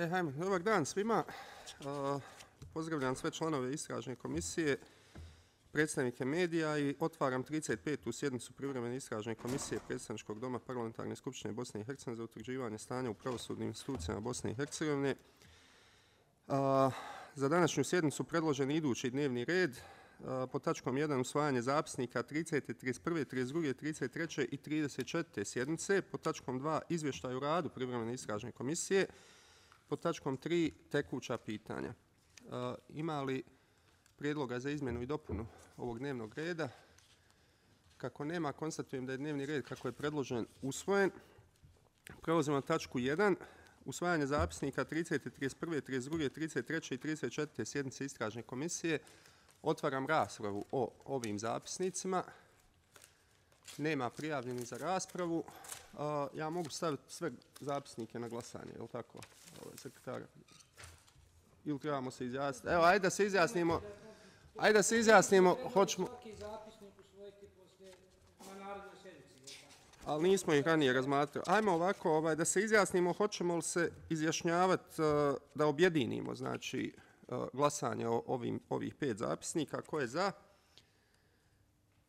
Hajmo, dobar dan svima. Pozdravljam sve članove istražne komisije, predstavnike medija i otvaram 35. sjednicu privremene istražne komisije Predstavničkog doma Parlamentarne skupštine Bosne i Hercegovine za utvrđivanje stanja u pravosudnim institucijama Bosne i Hercegovine. Za današnju sjednicu predložen idući dnevni red. Pod tačkom 1 usvajanje zapisnika 30., 31., 32., 33. i 34. sjednice. Pod tačkom 2 izvještaj o radu privremene istražne komisije. Pod tačkom 3 tekuća pitanja. Ima li prijedloga za izmjenu i dopunu ovog dnevnog reda? Kako nema, konstatujem da je dnevni red kako je predložen usvojen. Prelazimo na tačku 1. Usvajanje zapisnika 30., 31., 32., 33. i 34. sjednice istražne komisije. Otvaram raspravu o ovim zapisnicima. Nema prijavljenih za raspravu. Ja mogu staviti sve zapisnike na glasanje, je li tako, sekretar? Ili trebamo se izjasniti? Evo, ajde da se izjasnimo. Ajde da se izjasnimo. Hoćemo... Ali nismo ih ranije razmatrali. Ajmo ovako, da se izjasnimo, hoćemo li se izjašnjavati da objedinimo, znači, glasanje o ovih 5 zapisnika. Ko je za?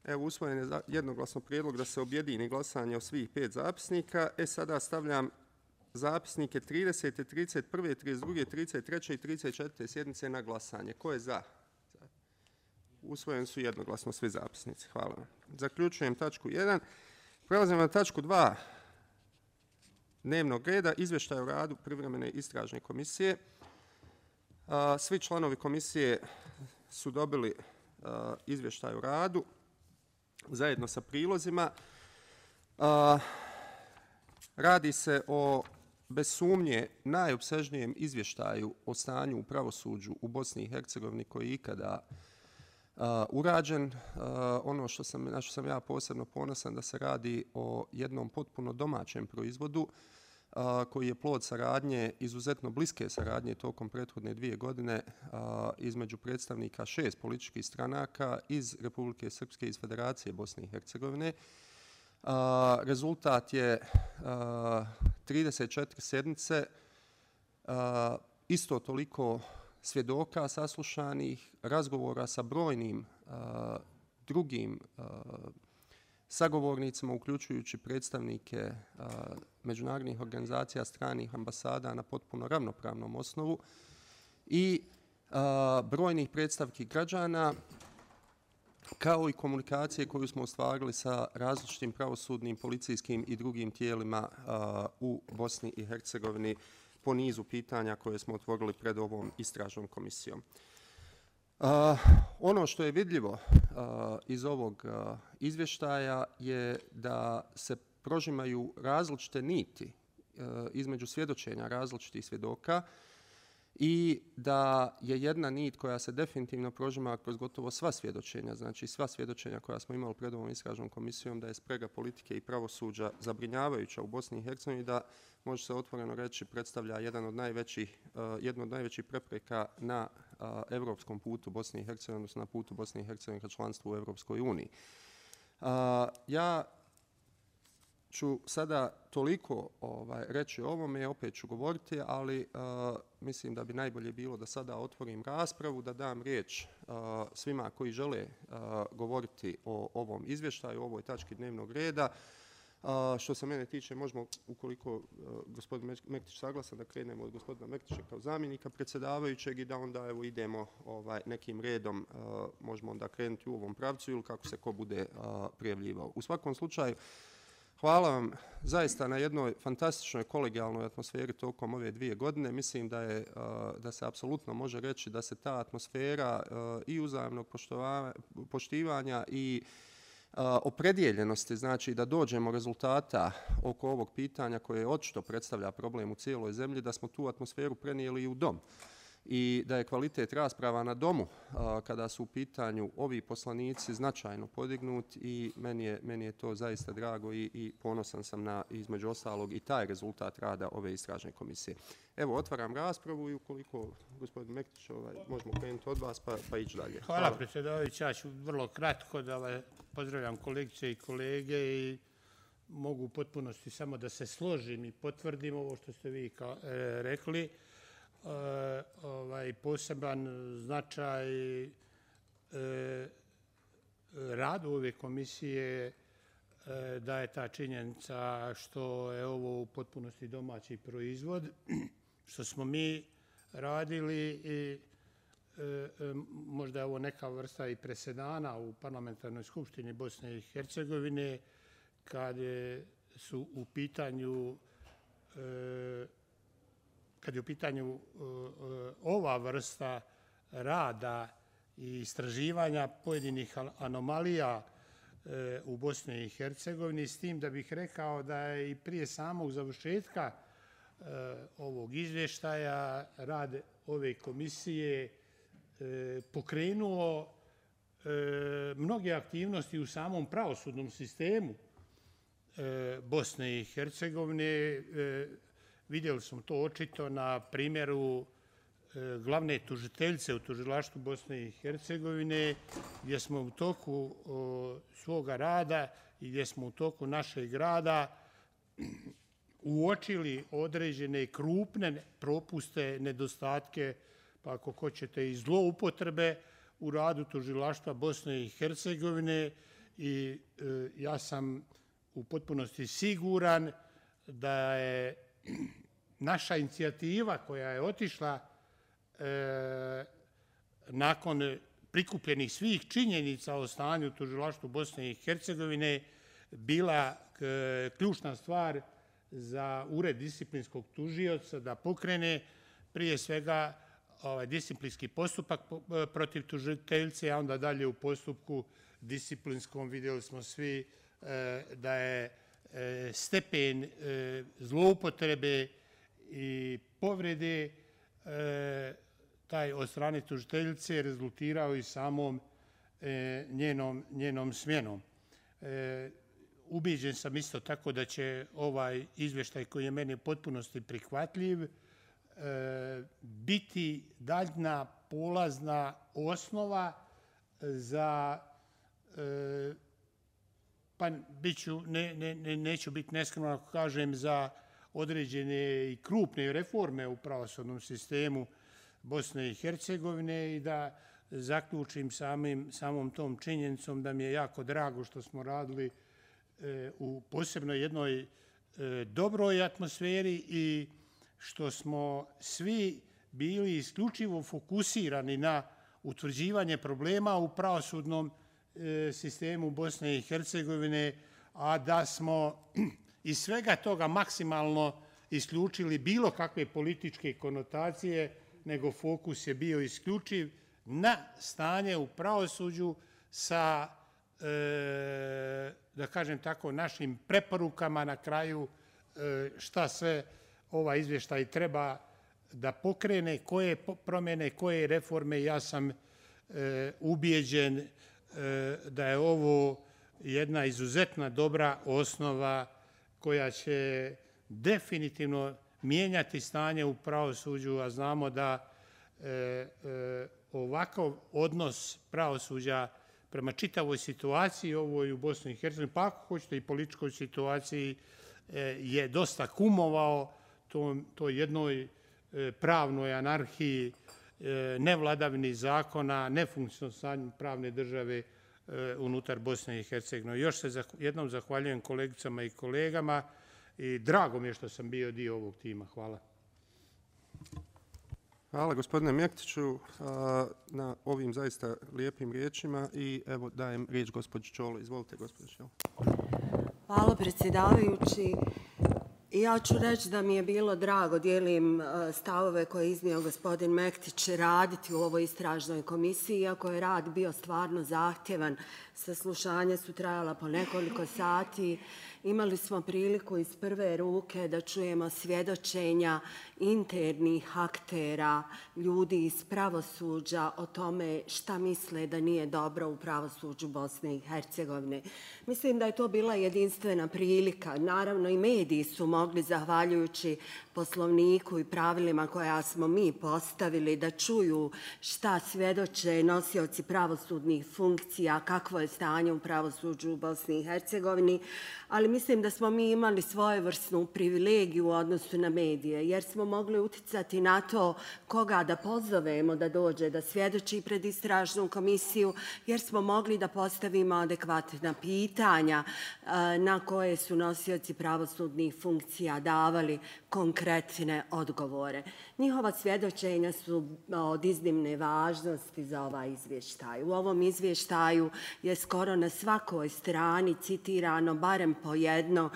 Evo, usvojen je jednoglasno prijedlog da se objedini glasanje o svih 5 zapisnika. Sada stavljam zapisnike 30., 31., 32., 33. i 34. sjednice na glasanje. Ko je za? Usvojeni su jednoglasno svi zapisnici. Hvala vam. Zaključujem tačku 1. Prelazimo na tačku 2 dnevnog reda, izvještaj o radu privremene istražne komisije. Svi članovi komisije su dobili izvještaj o radu zajedno sa prilozima. Radi se o, bez sumnje, najopsežnijem izvještaju o stanju u pravosuđu u Bosni i Hercegovini koji je ikada urađen. Ono na što sam ja posebno ponosan da se radi o jednom potpuno domaćem proizvodu koji je plod saradnje, izuzetno bliske saradnje tokom prethodne 2 godine između predstavnika 6 političkih stranaka iz Republike Srpske i iz Federacije Bosne i Hercegovine. Rezultat je 34 sjednice, isto toliko svjedoka saslušanih, razgovora sa brojnim drugim sagovornicima, uključujući predstavnike međunarodnih organizacija, stranih ambasada na potpuno ravnopravnom osnovu i brojnih predstavki građana, kao i komunikacije koju smo ostvarili sa različitim pravosudnim, policijskim i drugim tijelima u Bosni i Hercegovini po nizu pitanja koje smo otvorili pred ovom istražnom komisijom. Ono što je vidljivo iz ovog izvještaja je da se prožimaju različite niti između svjedočenja različitih svjedoka i da je jedna nit koja se definitivno prožima kroz gotovo sva svjedočenja, znači sva svjedočenja koja smo imali pred ovom istražnom komisijom, da je sprega politike i pravosuđa zabrinjavajuća u Bosni i Hercegovini, da može se otvoreno reći predstavlja jednu od najvećih prepreka na evropskom putu Bosne i Hercegovine, odnosno na putu Bosne i Hercegovine ka članstvu u Evropskoj uniji. Ja ću sada toliko reći o ovome, opet ću govoriti, ali mislim da bi najbolje bilo da sada otvorim raspravu, da dam riječ svima koji žele govoriti o ovom izvještaju, o ovoj tački dnevnog reda. Što se mene tiče, možemo, ukoliko gospodin Mektić saglasan, da krenemo od gospodina Mektića kao zamjenika predsjedavajućeg i da onda idemo nekim redom, možemo onda krenuti u ovom pravcu ili kako se ko bude prijavljivao. U svakom slučaju, hvala vam zaista na jednoj fantastičnoj kolegijalnoj atmosferi tokom ove 2 godine. Mislim da se apsolutno može reći da se ta atmosfera i uzajamnog poštivanja i opredjeljenosti, znači da dođemo rezultata oko ovog pitanja koje očito predstavlja problem u cijeloj zemlji, da smo tu atmosferu prenijeli i u dom. I da je kvalitet rasprava na domu kada su u pitanju ovi poslanici značajno podignut i meni je to zaista drago i ponosan sam na, između ostalog, i taj rezultat rada ove istražne komisije. Evo, otvaram raspravu i ukoliko gospodin Mektić, možemo krenuti od vas pa ići dalje. Hvala predsjedavajući, ja ću vrlo kratko da pozdravljam kolegice i kolege i mogu u potpunosti samo da se složim i potvrdim ovo što ste vi rekli. poseban značaj radu ove komisije daje ta činjenica što je ovo u potpunosti domaći proizvod, što smo mi radili i možda je ovo neka vrsta i presedana u Parlamentarnoj skupštini Bosne i Hercegovine kad je u pitanju ova vrsta rada i istraživanja pojedinih anomalija u Bosni i Hercegovini, s tim da bih rekao da je i prije samog završetka ovog izvještaja rad ove komisije pokrenuo mnoge aktivnosti u samom pravosudnom sistemu Bosne i Hercegovine. Vidjeli smo to očito na primjeru glavne tužiteljice u tužilaštvu Bosne i Hercegovine, gdje smo u toku svoga rada i gdje smo u toku našeg rada uočili određene krupne propuste, nedostatke, pa ako hoćete i zloupotrebe u radu tužilaštva Bosne i Hercegovine, i ja sam u potpunosti siguran da je naša inicijativa koja je otišla nakon prikupljenih svih činjenica o stanju u tužilaštvu Bosne i Hercegovine bila ključna stvar za Ured disciplinskog tužioca da pokrene prije svega disciplinski postupak protiv tužiteljice, a onda dalje u postupku disciplinskom vidjeli smo svi da je stepen zloupotrebe i povrede taj od strane tužiteljice rezultirao i samom njenom smjenom. Ubijeđen sam isto tako da će ovaj izvještaj koji je meni potpunosti prihvatljiv biti daljna polazna osnova za, pa neću biti neskroman ako kažem, za određene i krupne reforme u pravosudnom sistemu Bosne i Hercegovine, i da zaključim samom tom činjenicom da mi je jako drago što smo radili u posebno jednoj dobroj atmosferi i što smo svi bili isključivo fokusirani na utvrđivanje problema u pravosudnom sistemu Bosne i Hercegovine, a da smo iz svega toga maksimalno isključili bilo kakve političke konotacije, nego fokus je bio isključiv na stanje u pravosuđu sa, da kažem tako, našim preporukama na kraju šta sve ovaj izvještaj treba da pokrene, koje promjene, koje reforme. Ja sam ubijeđen da je ovo jedna izuzetna dobra osnova koja će definitivno mijenjati stanje u pravosuđu, a znamo da ovakav odnos pravosuđa prema čitavoj situaciji ovoj u Bosni i Hercegovini, pa ako hoćete i političkoj situaciji, je dosta kumovao toj jednoj pravnoj anarhiji, nevladavini zakona, nefunkcionisanju pravne države unutar Bosne i Hercegovine. Još se jednom zahvaljujem kolegicama i kolegama i drago mi je što sam bio dio ovog tima. Hvala. Hvala gospodine Mektiću na ovim zaista lijepim riječima i evo dajem riječ gospođi Čolo. Izvolite gospođo Čolo. Hvala predsjedavajući. Ja ću reći da mi je bilo drago, dijelim stavove koje je iznio gospodin Mektić, raditi u ovoj istražnoj komisiji, iako je rad bio stvarno zahtjevan. Saslušanja su trajala po nekoliko sati. Imali smo priliku iz prve ruke da čujemo svjedočenja internih aktera, ljudi iz pravosuđa o tome šta misle da nije dobro u pravosuđu Bosne i Hercegovine. Mislim da je to bila jedinstvena prilika. Naravno i mediji su mogli mogli, zahvaljujući Poslovniku i pravilima koja smo mi postavili, da čuju šta svjedoče nosioci pravosudnih funkcija, kakvo je stanje u pravosuđu u Bosni i Hercegovini, ali mislim da smo mi imali svojevrsnu privilegiju u odnosu na medije, jer smo mogli uticati na to koga da pozovemo da dođe da svjedoči pred istražnu komisiju, jer smo mogli da postavimo adekvatna pitanja na koje su nosioci pravosudnih funkcija davali konkretne odgovore. Njihova svjedočenja su od iznimne važnosti za ovaj izvještaj. U ovom izvještaju je skoro na svakoj strani citirano barem po jedno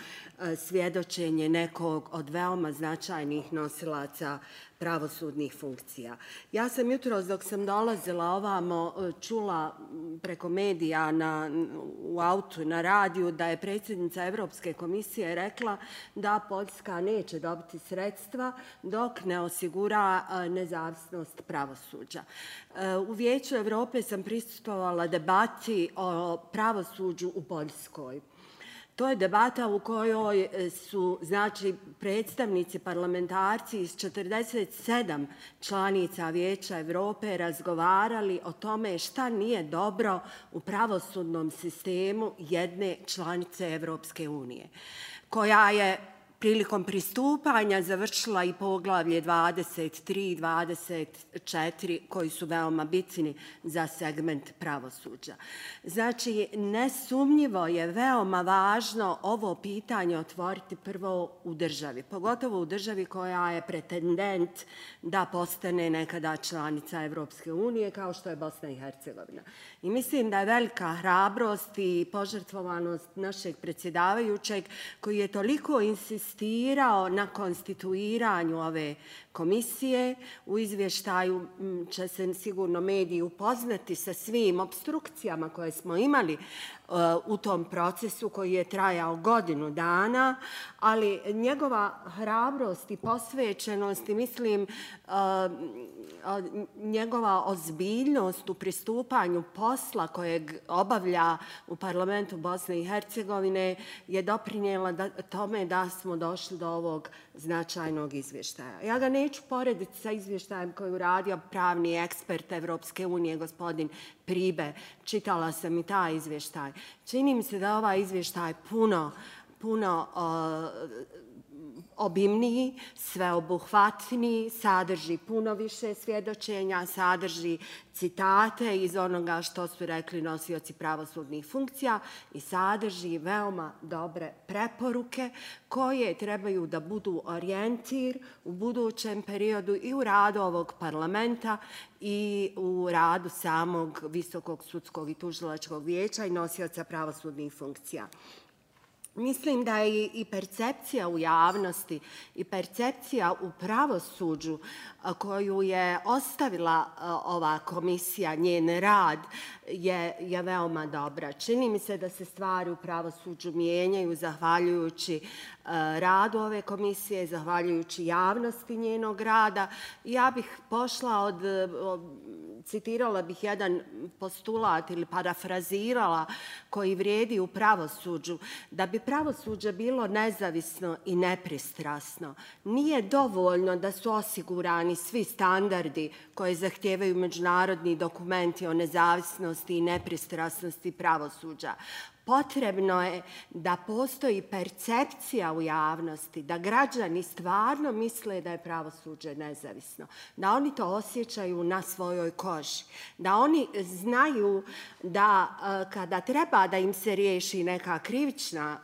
svjedočenje nekog od veoma značajnih nosilaca pravosudnih funkcija. Ja sam jutros dok sam dolazila ovamo čula preko medija u autu na radiju da je predsjednica Evropske komisije rekla da Poljska neće dobiti sredstva dok ne osigura nezavisnost pravosuđa. U Vijeću Evrope sam prisustvovala debati o pravosuđu u Poljskoj. To je debata u kojoj su predstavnici parlamentarci iz 47 članica Vijeća Evrope razgovarali o tome šta nije dobro u pravosudnom sistemu jedne članice Evropske unije, koja je prilikom pristupanja završila i poglavlje 23 i 24 koji su veoma bitni za segment pravosuđa. Znači, nesumnjivo je veoma važno ovo pitanje otvoriti prvo u državi, pogotovo u državi koja je pretendent da postane nekada članica Evropske unije kao što je Bosna i Hercegovina. I mislim da je velika hrabrost i požrtvovanost našeg predsjedavajućeg koji je toliko insistirao na konstituiranju ove komisije. U izvještaju će se sigurno mediji upoznati sa svim obstrukcijama koje smo imali u tom procesu koji je trajao godinu dana, ali njegova hrabrost i posvećenost i mislim njegova ozbiljnost u pristupanju posla kojeg obavlja u parlamentu Bosne i Hercegovine je doprinijela tome da smo došli do ovog značajnog izvještaja. Ja ga neću porediti sa izvještajem koji je uradio pravni ekspert Evropske unije, gospodin Pribe. Čitala sam i taj izvještaj. Čini mi se da ovaj izvještaj puno obimniji, sveobuhvatniji, sadrži puno više svjedočenja, sadrži citate iz onoga što su rekli nosioci pravosudnih funkcija i sadrži veoma dobre preporuke koje trebaju da budu orijentir u budućem periodu i u radu ovog parlamenta i u radu samog Visokog sudskog i tužilačkog vijeća i nosioca pravosudnih funkcija. Mislim da je i percepcija u javnosti i percepcija u pravosuđu koju je ostavila ova komisija, njen rad, je veoma dobra. Čini mi se da se stvari u pravosuđu mijenjaju zahvaljujući radu ove komisije, zahvaljujući javnosti njenog rada. Ja bih pošla citirala bih jedan postulat ili parafrazirala koji vrijedi u pravosuđu. Da bi pravosuđe bilo nezavisno i nepristrasno, nije dovoljno da su osigurani svi standardi koje zahtijevaju međunarodni dokumenti o nezavisnosti i nepristrasnosti pravosuđa. Potrebno je da postoji percepcija u javnosti, da građani stvarno misle da je pravosuđe nezavisno, da oni to osjećaju na svojoj koži, da oni znaju da kada treba da im se riješi neka krivična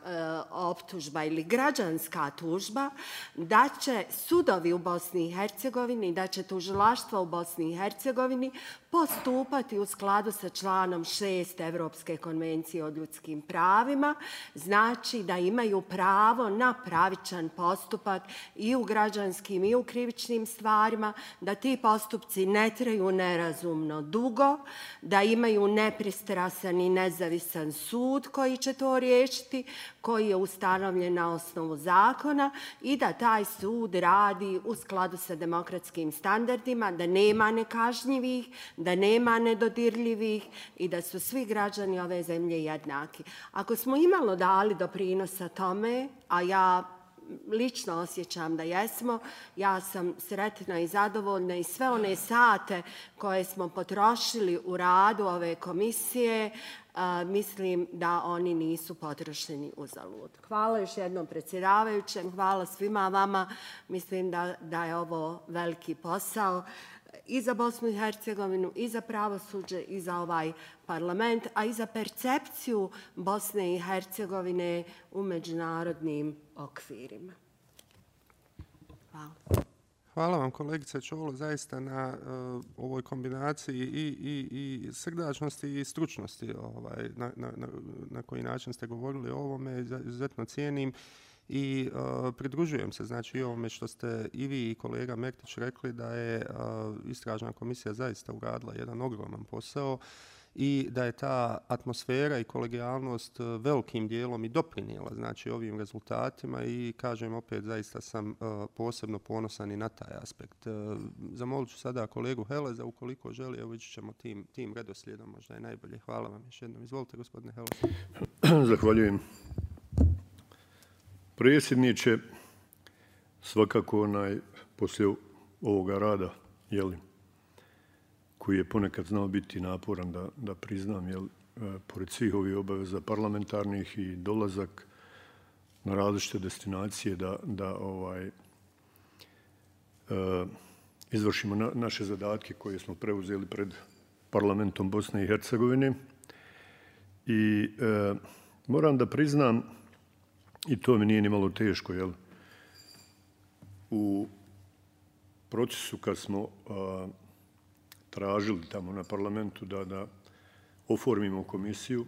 optužba ili građanska tužba, da će sudovi u Bosni i Hercegovini, da će tužilaštvo u Bosni i Hercegovini postupati u skladu sa članom 6 Evropske konvencije o ljudskim pravima, znači da imaju pravo na pravičan postupak i u građanskim i u krivičnim stvarima, da ti postupci ne traju nerazumno dugo, da imaju nepristrasan i nezavisan sud koji će to riješiti, koji je ustanovljen na osnovu zakona i da taj sud radi u skladu sa demokratskim standardima, da nema nekažnjivih, da nema nedodirljivih i da su svi građani ove zemlje jednaki. Ako smo imalo dali doprinosa tome, a ja lično osjećam da jesmo. Ja sam sretna i zadovoljna i sve one sate koje smo potrošili u radu ove komisije, mislim da oni nisu potrošeni uzalud. Hvala još jednom predsjedavajućem, hvala svima vama. Mislim da je ovo veliki posao i za Bosnu i Hercegovinu, i za pravosuđe, i za ovaj parlament, a i za percepciju Bosne i Hercegovine u međunarodnim okvirima. Hvala. Hvala vam kolegice Čolo zaista na ovoj kombinaciji i srdačnosti i stručnosti na koji način ste govorili o ovome, izuzetno cijenim. I pridružujem se znači i ovome što ste i vi i kolega Mektić rekli da je istražna komisija zaista uradila jedan ogroman posao i da je ta atmosfera i kolegijalnost velikim dijelom i doprinijela znači ovim rezultatima i kažem opet zaista sam posebno ponosan i na taj aspekt. Zamolit ću sada kolegu Heleza ukoliko želi, evo ići ćemo tim redoslijedom, možda je najbolje. Hvala vam još jednom. Izvolite gospodine Helez. Zahvaljujem. Predsjedniče, svakako poslije ovoga rada, koji je ponekad znao biti naporan, da priznam, pored svih ovih obaveza parlamentarnih i dolazak na različite destinacije, da izvršimo naše zadatke koje smo preuzeli pred parlamentom Bosne i Hercegovine. I moram da priznam, i to mi nije ni malo teško, u procesu kad smo tražili tamo na parlamentu da oformimo komisiju,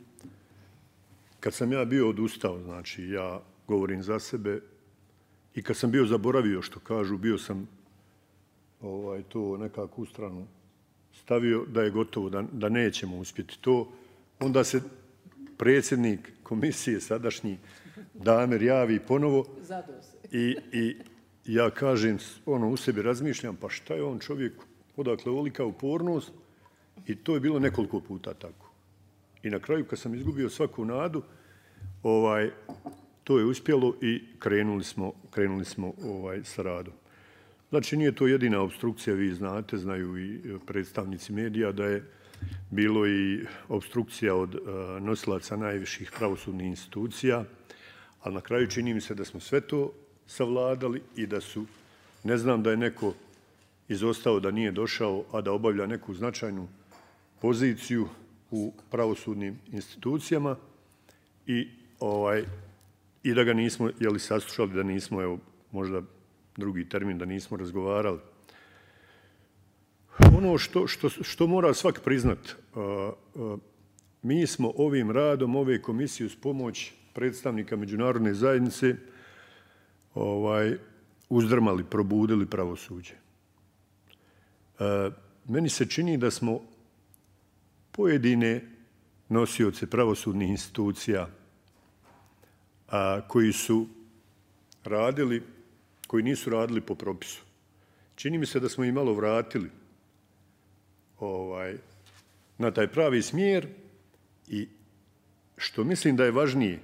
kad sam ja bio odustao, znači ja govorim za sebe, i kad sam bio zaboravio što kažu, bio sam to nekako u stranu stavio da je gotovo, da nećemo uspjeti to, onda se predsjednik komisije sadašnji Damer javi ponovo i ja kažem, u sebi razmišljam, pa šta je on čovjek, odakle ovolika upornost, i to je bilo nekoliko puta tako. I na kraju, kad sam izgubio svaku nadu, to je uspjelo i krenuli smo sa radom. Znači, nije to jedina obstrukcija, vi znate, znaju i predstavnici medija, da je bilo i obstrukcija od nosilaca najviših pravosudnih institucija, ali na kraju čini mi se da smo sve to savladali i da su, ne znam da je neko izostao, da nije došao, a da obavlja neku značajnu poziciju u pravosudnim institucijama i da ga nismo saslušali, da nismo, evo, možda drugi termin, da nismo razgovarali. Ono što mora svak priznat, mi smo ovim radom ove komisije uz pomoć predstavnika međunarodne zajednice uzdrmali, probudili pravosuđe. Meni se čini da smo pojedine nosioce pravosudnih institucija koji su radili, koji nisu radili po propisu. Čini mi se da smo ih malo vratili na taj pravi smjer i što mislim da je važnije,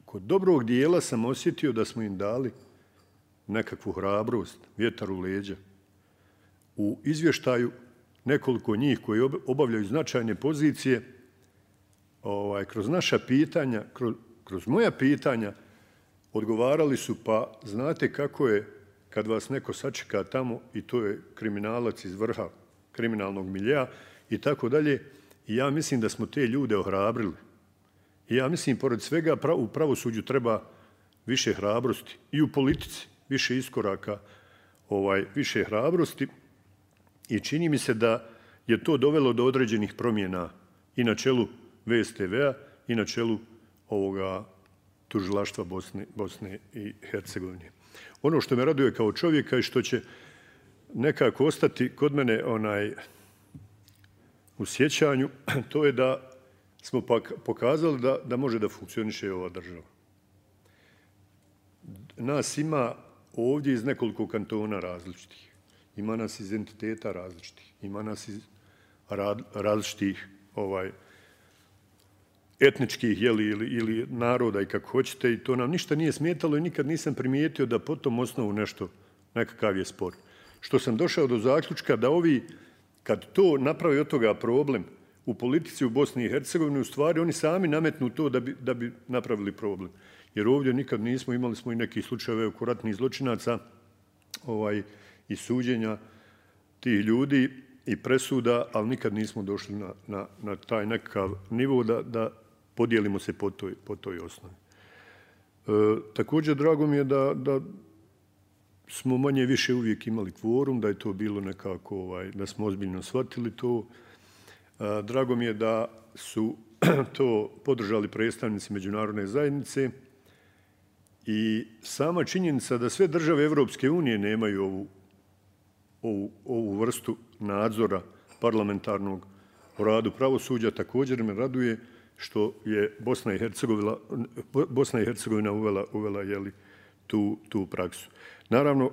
kod dobrog dijela sam osjetio da smo im dali nekakvu hrabrost, vjetar u leđa. U izvještaju nekoliko njih koji obavljaju značajne pozicije, kroz naša pitanja, kroz moja pitanja, odgovarali su, pa znate kako je kad vas neko sačeka tamo i to je kriminalac iz vrha kriminalnog miljea i tako dalje. I ja mislim da smo te ljude ohrabrili. I ja mislim, pored svega, u pravosuđu treba više hrabrosti. I u politici više iskoraka, više hrabrosti. I čini mi se da je to dovelo do određenih promjena i na čelu VSTV-a i na čelu ovoga tužilaštva Bosne i Hercegovine. Ono što me raduje kao čovjeka i što će nekako ostati kod mene u sjećanju, to je da smo pokazali da može da funkcioniše ova država. Nas ima ovdje iz nekoliko kantona različitih. Ima nas iz entiteta različitih. Ima nas iz različitih etničkih ili naroda i kako hoćete, i to nam ništa nije smetalo i nikad nisam primijetio da po tom osnovu nekakav je spor. Što sam došao do zaključka da ovi, kad to napravi od toga problem u politici u Bosni i Hercegovini, u stvari oni sami nametnu to da bi napravili problem. Jer ovdje nikad nismo, imali smo i nekih slučajeve oko ratnih zločinaca i suđenja tih ljudi i presuda, ali nikad nismo došli na taj nekakav nivo da podijelimo se po toj osnovi. Također, drago mi je da smo manje više uvijek imali kvorum, da je to bilo nekako, da smo ozbiljno shvatili to. Drago mi je da su to podržali predstavnici međunarodne zajednice i sama činjenica da sve države Evropske unije nemaju ovu vrstu nadzora parlamentarnog u radu pravosuđa, također me raduje što je Bosna i Hercegovina uvela tu praksu. Naravno,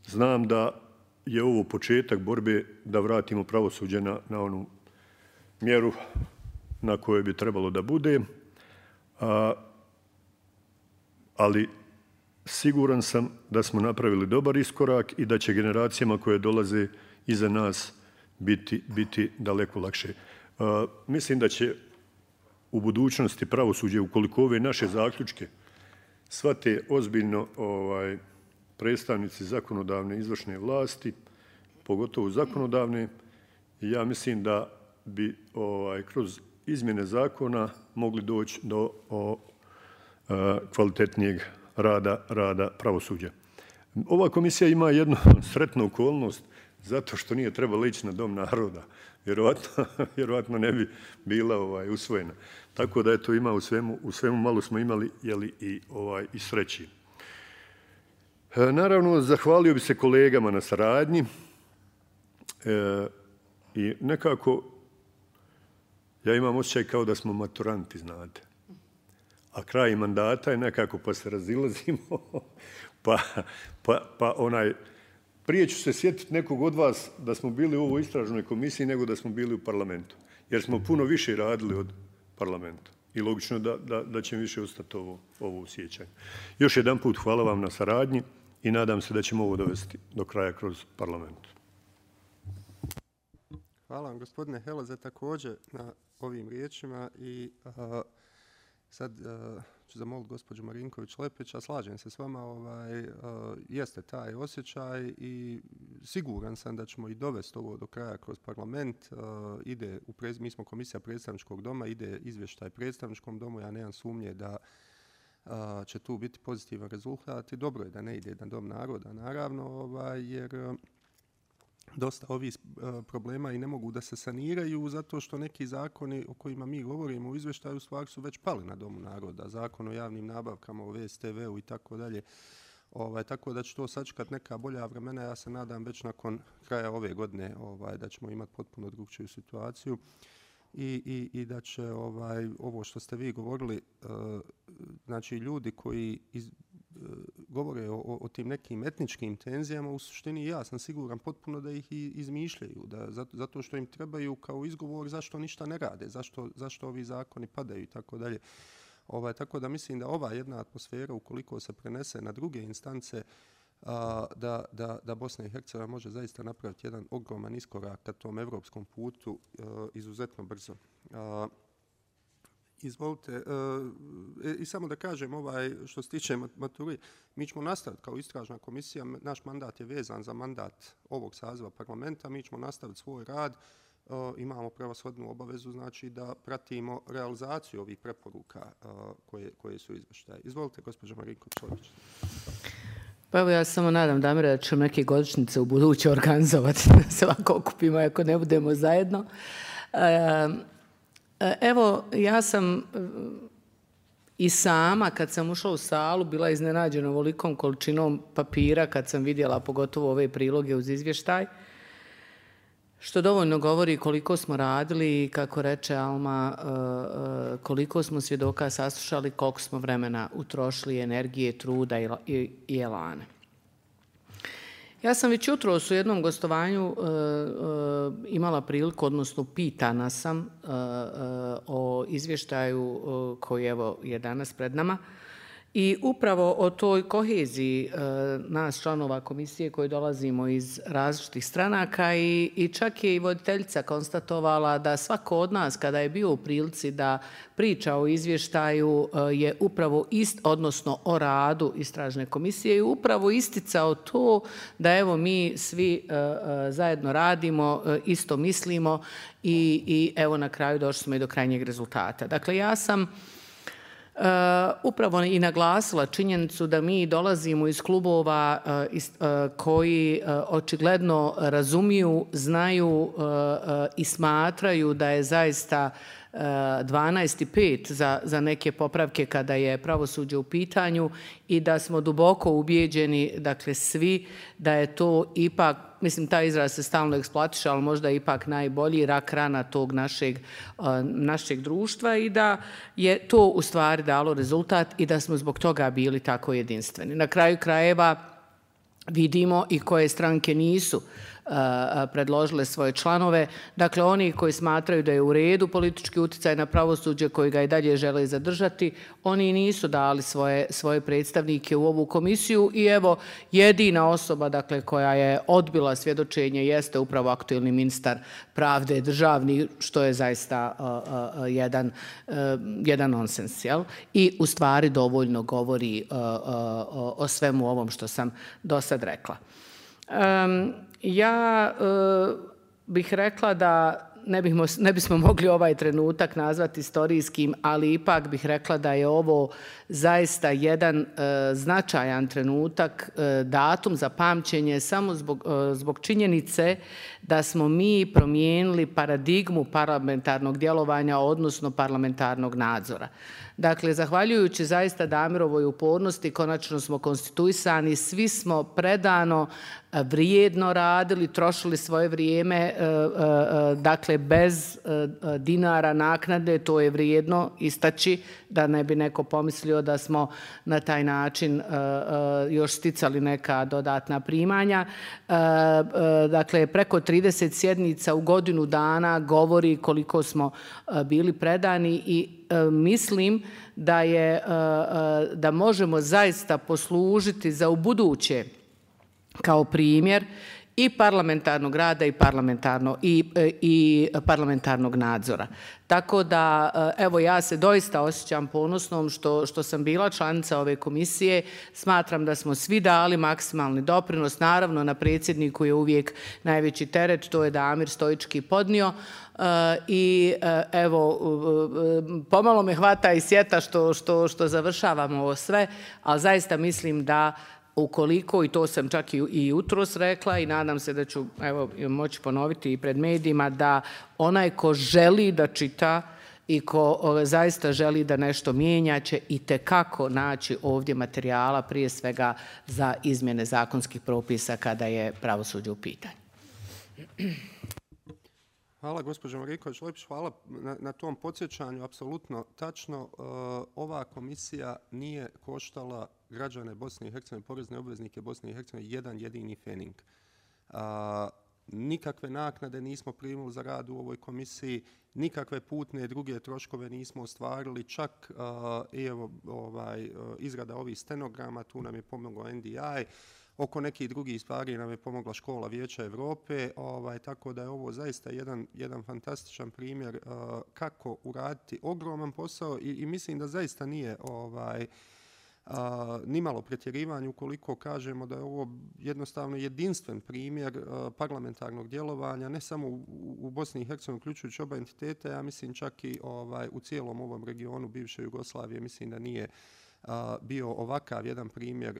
znam da je ovo početak borbe da vratimo pravosuđe na onu mjeru na kojoj bi trebalo da bude, ali siguran sam da smo napravili dobar iskorak i da će generacijama koje dolaze iza nas biti daleko lakše. Mislim da će u budućnosti pravosuđe, ukoliko ove naše zaključke shvate ozbiljno predstavnici zakonodavne i izvršne vlasti, pogotovo zakonodavne, ja mislim da bi kroz izmjene zakona mogli doći do kvalitetnijeg rada pravosuđa. Ova komisija ima jednu sretnu okolnost zato što nije trebala ići na Dom naroda. Vjerovatno ne bi bila usvojena. Tako da je to ima u svemu malo smo imali i sreći. Naravno, zahvalio bi se kolegama na saradnji i nekako ja imam osjećaj kao da smo maturanti, znate. A kraj mandata je nekako pa se razilazimo, prije ću se sjetiti nekog od vas da smo bili u ovoj istražnoj komisiji nego da smo bili u parlamentu. Jer smo puno više radili od parlamenta. I logično da će više ostati ovo u sjećanju. Još jedan put hvala vam na saradnji i nadam se da ćemo ovo dovesti do kraja kroz parlament. Hvala vam, gospodine Heleze, također na ovim riječima i sad ću zamoliti gospođu Marinković-Lepić, a slažem se s vama, jeste taj osjećaj i siguran sam da ćemo i dovesti ovo do kraja kroz parlament. Mi smo komisija predstavničkog doma, ide izvještaj predstavničkom domu, ja nemam sumnje da će tu biti pozitivan rezultat i dobro je da ne ide na Dom naroda, naravno, jer dosta ovih problema i ne mogu da se saniraju zato što neki zakoni o kojima mi govorimo u izvještaju stvari su već pali na Domu naroda. Zakon o javnim nabavkama, o VSTV-u i tako dalje. Tako da će to sačekati neka bolja vremena. Ja se nadam već nakon kraja ove godine da ćemo imati potpuno drugčiju situaciju i da će ovo što ste vi govorili, znači ljudi koji govore o tim nekim etničkim tenzijama, u suštini ja sam siguran potpuno da ih i izmišljaju, zato što im trebaju kao izgovor zašto ništa ne rade, zašto ovi zakoni padaju i tako dalje. Tako da mislim da ova jedna atmosfera, ukoliko se prenese na druge instance, da Bosna i Hercegovina može zaista napraviti jedan ogroman iskorak ka tom evropskom putu izuzetno brzo. Izvolite, i samo da kažem, što se tiče maturi, mi ćemo nastaviti kao istražna komisija, naš mandat je vezan za mandat ovog saziva parlamenta, mi ćemo nastaviti svoj rad, imamo prevashodnu obavezu, znači da pratimo realizaciju ovih preporuka koje su izvještaje. Izvolite, gospođo Marinković-Lepić. Pa evo, ja samo nadam, Damire, da ćemo neke godišnjice u buduće organizovati, da se ovako okupimo ako ne budemo zajedno. Evo, ja sam i sama, kad sam ušla u salu, bila iznenađena ovolikom količinom papira kad sam vidjela, pogotovo ove priloge uz izvještaj, što dovoljno govori koliko smo radili i, kako reče Alma, koliko smo svjedoka saslušali, koliko smo vremena utrošili, energije, truda i elane. Ja sam već jutros u jednom gostovanju imala priliku, odnosno pitana sam o izvještaju koji evo je danas pred nama. I upravo o toj koheziji nas članova komisije koji dolazimo iz različitih stranaka i čak je i voditeljica konstatovala da svako od nas kada je bio u prilici da priča o izvještaju je upravo odnosno o radu istražne komisije i upravo isticao to da evo mi svi zajedno radimo, isto mislimo i evo na kraju došli smo i do krajnjeg rezultata. Dakle, ja sam upravo i naglasila činjenicu da mi dolazimo iz klubova koji očigledno razumiju, znaju i smatraju da je zaista 12,5 za neke popravke kada je pravosuđe u pitanju i da smo duboko ubijeđeni, dakle svi, da je to ipak, mislim taj izraz se stalno eksploatiše, ali možda ipak najbolji rak rana tog našeg društva i da je to u stvari dalo rezultat i da smo zbog toga bili tako jedinstveni. Na kraju krajeva vidimo i koje stranke nisu predložile svoje članove. Dakle, oni koji smatraju da je u redu politički uticaj na pravosuđe, koji ga i dalje žele zadržati, oni nisu dali svoje predstavnike u ovu komisiju i evo, jedina osoba dakle, koja je odbila svjedočenje jeste upravo aktuelni ministar pravde državni, što je zaista jedan nonsens. Jel? I u stvari dovoljno govori o svemu ovom što sam do sad rekla. Ja bih rekla da ne bismo mogli ovaj trenutak nazvati istorijskim, ali ipak bih rekla da je ovo zaista jedan značajan trenutak, datum za pamćenje samo zbog činjenice da smo mi promijenili paradigmu parlamentarnog djelovanja, odnosno parlamentarnog nadzora. Dakle, zahvaljujući zaista Damirovoj upornosti, konačno smo konstituisani, svi smo predano, vrijedno radili, trošili svoje vrijeme, dakle, bez dinara naknade, to je vrijedno istaći, da ne bi neko pomislio da smo na taj način još sticali neka dodatna primanja. Dakle, preko 30 sjednica u godinu dana govori koliko smo bili predani i mislim da možemo zaista poslužiti za ubuduće kao primjer i parlamentarnog rada i parlamentarnog nadzora. Tako da, evo, ja se doista osjećam ponosnom što sam bila članica ove komisije. Smatram da smo svi dali maksimalni doprinos. Naravno, na predsjedniku je uvijek najveći teret, to je Damir stoički podnio. I evo, pomalo me hvata i sjeta što završavamo ovo sve, ali zaista mislim da ukoliko, i to sam čak i jutros rekla i nadam se da ću moći ponoviti i pred medijima, da onaj ko želi da čita i ko zaista želi da nešto mijenja će itekako naći ovdje materijala, prije svega za izmjene zakonskih propisa kada je pravosuđe u pitanju. Hvala, gospođo Mariković-Lepić, hvala na tom podsjećanju, apsolutno tačno. Ova komisija nije koštala građane Bosne i Hercegovine, porezne obveznike Bosne i Hercegovine, jedan jedini fening. Nikakve naknade nismo primili za rad u ovoj komisiji, nikakve putne druge troškove nismo ostvarili, čak izrada ovih stenograma, tu nam je pomogao NDI, oko nekih drugih stvari nam je pomogla Škola Vijeća Evrope, tako da je ovo zaista jedan fantastičan primjer kako uraditi ogroman posao i mislim da zaista nije nimalo pretjerivanje ukoliko kažemo da je ovo jednostavno jedinstven primjer parlamentarnog djelovanja, ne samo u Bosni i Hercegovini, uključujući oba entiteta, ja mislim čak i u cijelom ovom regionu bivše Jugoslavije, mislim da nije bio ovakav jedan primjer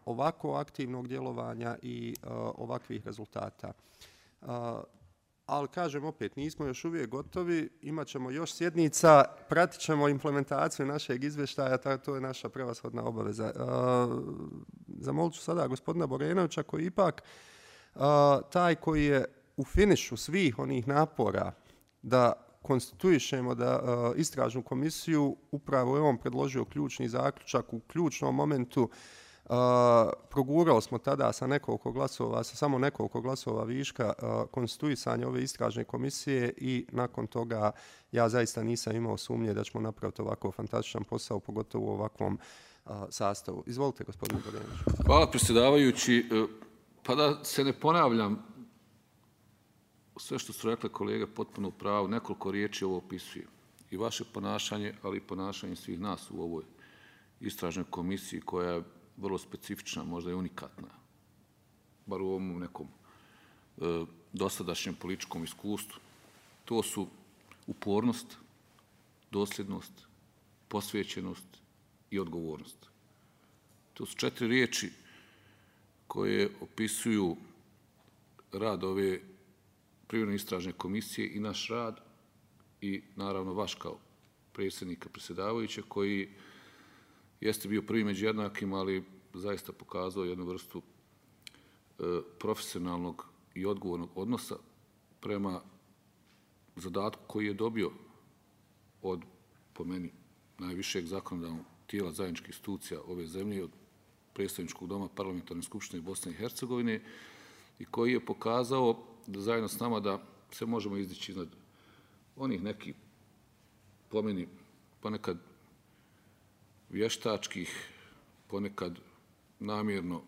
ovako aktivnog djelovanja i ovakvih rezultata. Ali kažem opet, nismo još uvijek gotovi, imat ćemo još sjednica, pratit ćemo implementaciju našeg izvještaja, to je naša prevashodna obaveza. Zamolit ću sada gospodina Borenovića koji ipak taj koji je u finišu svih onih napora da konstituišemo da istražnu komisiju, upravo je on predložio ključni zaključak u ključnom momentu Progurali smo tada sa samo nekoliko glasova viška konstituisanje ove istražne komisije i nakon toga ja zaista nisam imao sumnje da ćemo napraviti ovako fantastičan posao, pogotovo u ovakvom sastavu. Izvolite, gospodine Borjanić. Hvala, predsjedavajući. Pa da se ne ponavljam, sve što su rekli kolege potpuno u pravu, nekoliko riječi ovo opisuje. I vaše ponašanje, ali i ponašanje svih nas u ovoj istražnoj komisiji koja je vrlo specifična, možda i unikatna, bar u ovom nekom dosadašnjem političkom iskustvu. To su upornost, dosljednost, posvećenost i odgovornost. To su 4 riječi koje opisuju rad ove privremene istražne komisije i naš rad i naravno vaš kao predsjednika, predsjedavajuće, koji jeste bio prvi među jednakim, ali zaista pokazao jednu vrstu profesionalnog i odgovornog odnosa prema zadatku koji je dobio od, po meni, najvišeg zakonodavnog tijela zajedničkih institucija ove zemlje, od predstavničkog doma Parlamentarne skupštine Bosne i Hercegovine, i koji je pokazao da zajedno s nama da se možemo izdići iznad onih nekih, po meni, ponekad vještačkih, ponekad namjerno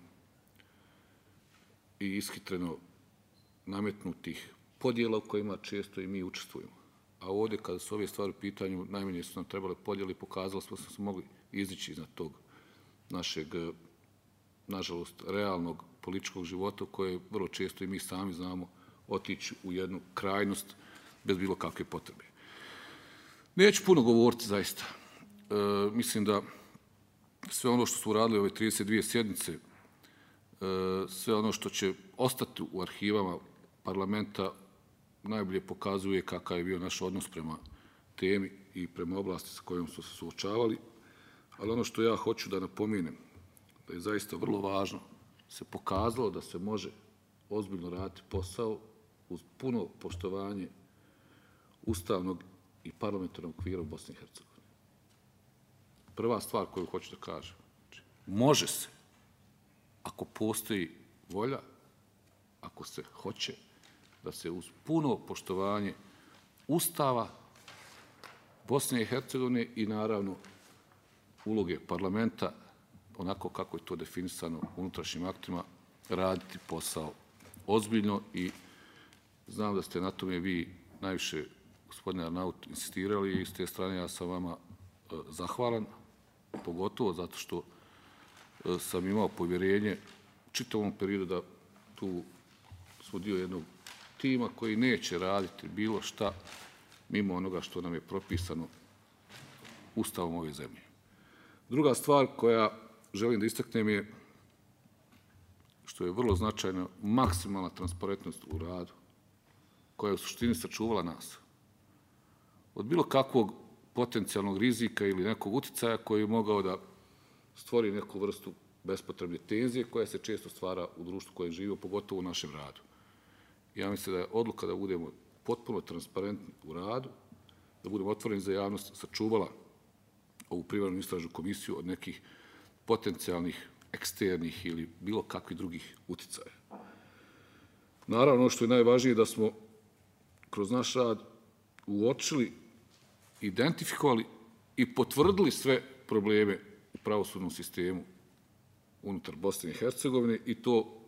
i ishitreno nametnutih podjela u kojima često i mi učestvujemo. A ovdje, kada su ove stvari u pitanju, najmanje su nam trebale podjeli, pokazali smo da smo se mogli izdići iznad tog našeg, nažalost, realnog političkog života, koje vrlo često i mi sami znamo otići u jednu krajnost bez bilo kakve potrebe. Neću puno govoriti, zaista. Mislim da sve ono što su uradili ove 32 sjednice, sve ono što će ostati u arhivama parlamenta, najbolje pokazuje kakav je bio naš odnos prema temi i prema oblasti sa kojom smo se suočavali. Ali ono što ja hoću da napomenem, da je zaista vrlo važno, se pokazalo da se može ozbiljno raditi posao uz puno poštovanje ustavnog i parlamentarnog okvira u Bosni i Hercegovini. Prva stvar koju hoću da kažem, može se, ako postoji volja, ako se hoće, da se uz puno poštovanje Ustava Bosne i Hercegovine i naravno uloge parlamenta, onako kako je to definisano unutrašnjim aktima, raditi posao ozbiljno. I znam da ste na tome vi najviše, gospodine Arnaut, insistirali i s te strane ja sam vama zahvalan, pogotovo zato što sam imao povjerenje u čitavom periodu da tu smo dio jednog tima koji neće raditi bilo šta mimo onoga što nam je propisano Ustavom ove zemlje. Druga stvar koja želim da istaknem je, što je vrlo značajno, maksimalna transparentnost u radu, koja je u suštini sačuvala nas od bilo kakvog potencijalnog rizika ili nekog uticaja koji je mogao da stvori neku vrstu bespotrebne tenzije koja se često stvara u društvu koje živimo, pogotovo u našem radu. Ja mislim da je odluka da budemo potpuno transparentni u radu, da budemo otvoreni za javnost, sačuvala ovu privremenu istražnu komisiju od nekih potencijalnih, eksternih ili bilo kakvih drugih uticaja. Naravno, ono što je najvažnije da smo kroz naš rad uočili, identifikovali i potvrdili sve probleme u pravosudnom sistemu unutar Bosne i Hercegovine, i to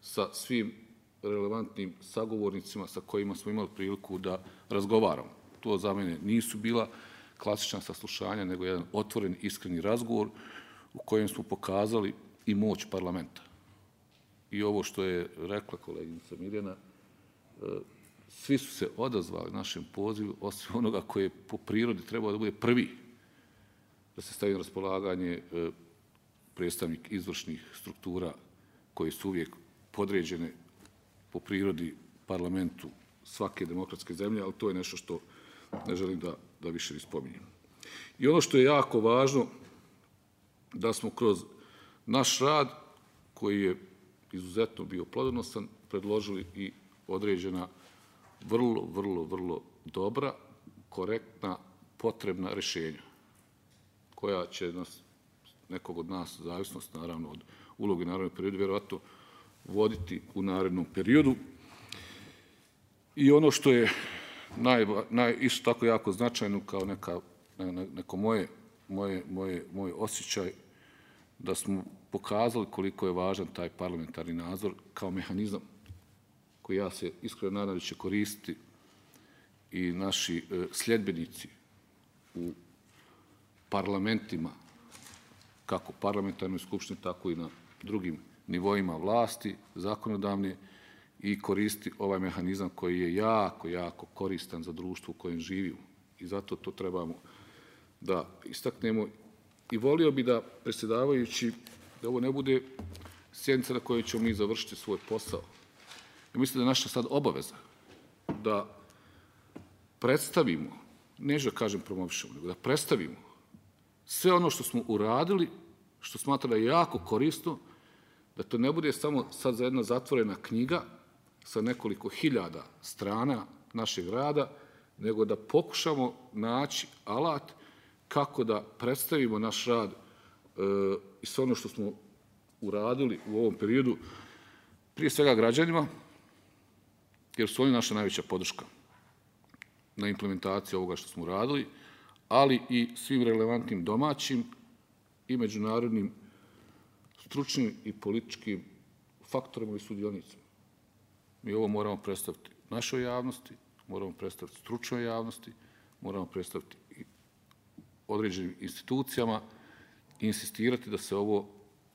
sa svim relevantnim sagovornicima sa kojima smo imali priliku da razgovaramo. To za mene nisu bila klasična saslušanja, nego jedan otvoren, iskreni razgovor u kojem smo pokazali i moć parlamenta. I ovo što je rekla koleginica Mirjana, svi su se odazvali našem pozivu, osim onoga koji je po prirodi trebao da bude prvi da se stavi na raspolaganje predstavnik izvršnih struktura koje su uvijek podređene po prirodi parlamentu svake demokratske zemlje, ali to je nešto što ne želim da više ispominjem. I ono što je jako važno, da smo kroz naš rad, koji je izuzetno bio plodonosan, predložili i određena vrlo dobra, korektna, potrebna rješenja, koja će nas nekog od nas, zavisnost naravno od uloge u narednom periodu, vjerovatno voditi u narednom periodu. I ono što je isto tako jako značajno kao neko moj osjećaj, da smo pokazali koliko je važan taj parlamentarni nadzor kao mehanizam koji ja se iskreno nadam da će koristiti i naši sljedbenici u parlamentima, kako parlamentarnoj skupštini, tako i na drugim nivoima vlasti, zakonodavne, i koristiti ovaj mehanizam koji je jako koristan za društvo u kojem živimo. I zato to trebamo da istaknemo. I volio bi da, predsjedavajući, da ovo ne bude sjednica na kojoj ćemo mi završiti svoj posao. I mislim da je naša sad obaveza da predstavimo, neću da kažem promovišemo, nego da predstavimo sve ono što smo uradili, što smatra da je jako korisno, da to ne bude samo sad za jedna zatvorena knjiga sa nekoliko hiljada strana našeg rada, nego da pokušamo naći alat kako da predstavimo naš rad i sve ono što smo uradili u ovom periodu, prije svega građanima, jer su oni naša najveća podrška na implementaciji ovoga što smo uradili, ali i svim relevantnim domaćim i međunarodnim stručnim i političkim faktorima i sudionicima. Mi ovo moramo predstaviti našoj javnosti, moramo predstaviti stručnoj javnosti, moramo predstaviti i određenim institucijama i insistirati da se ovo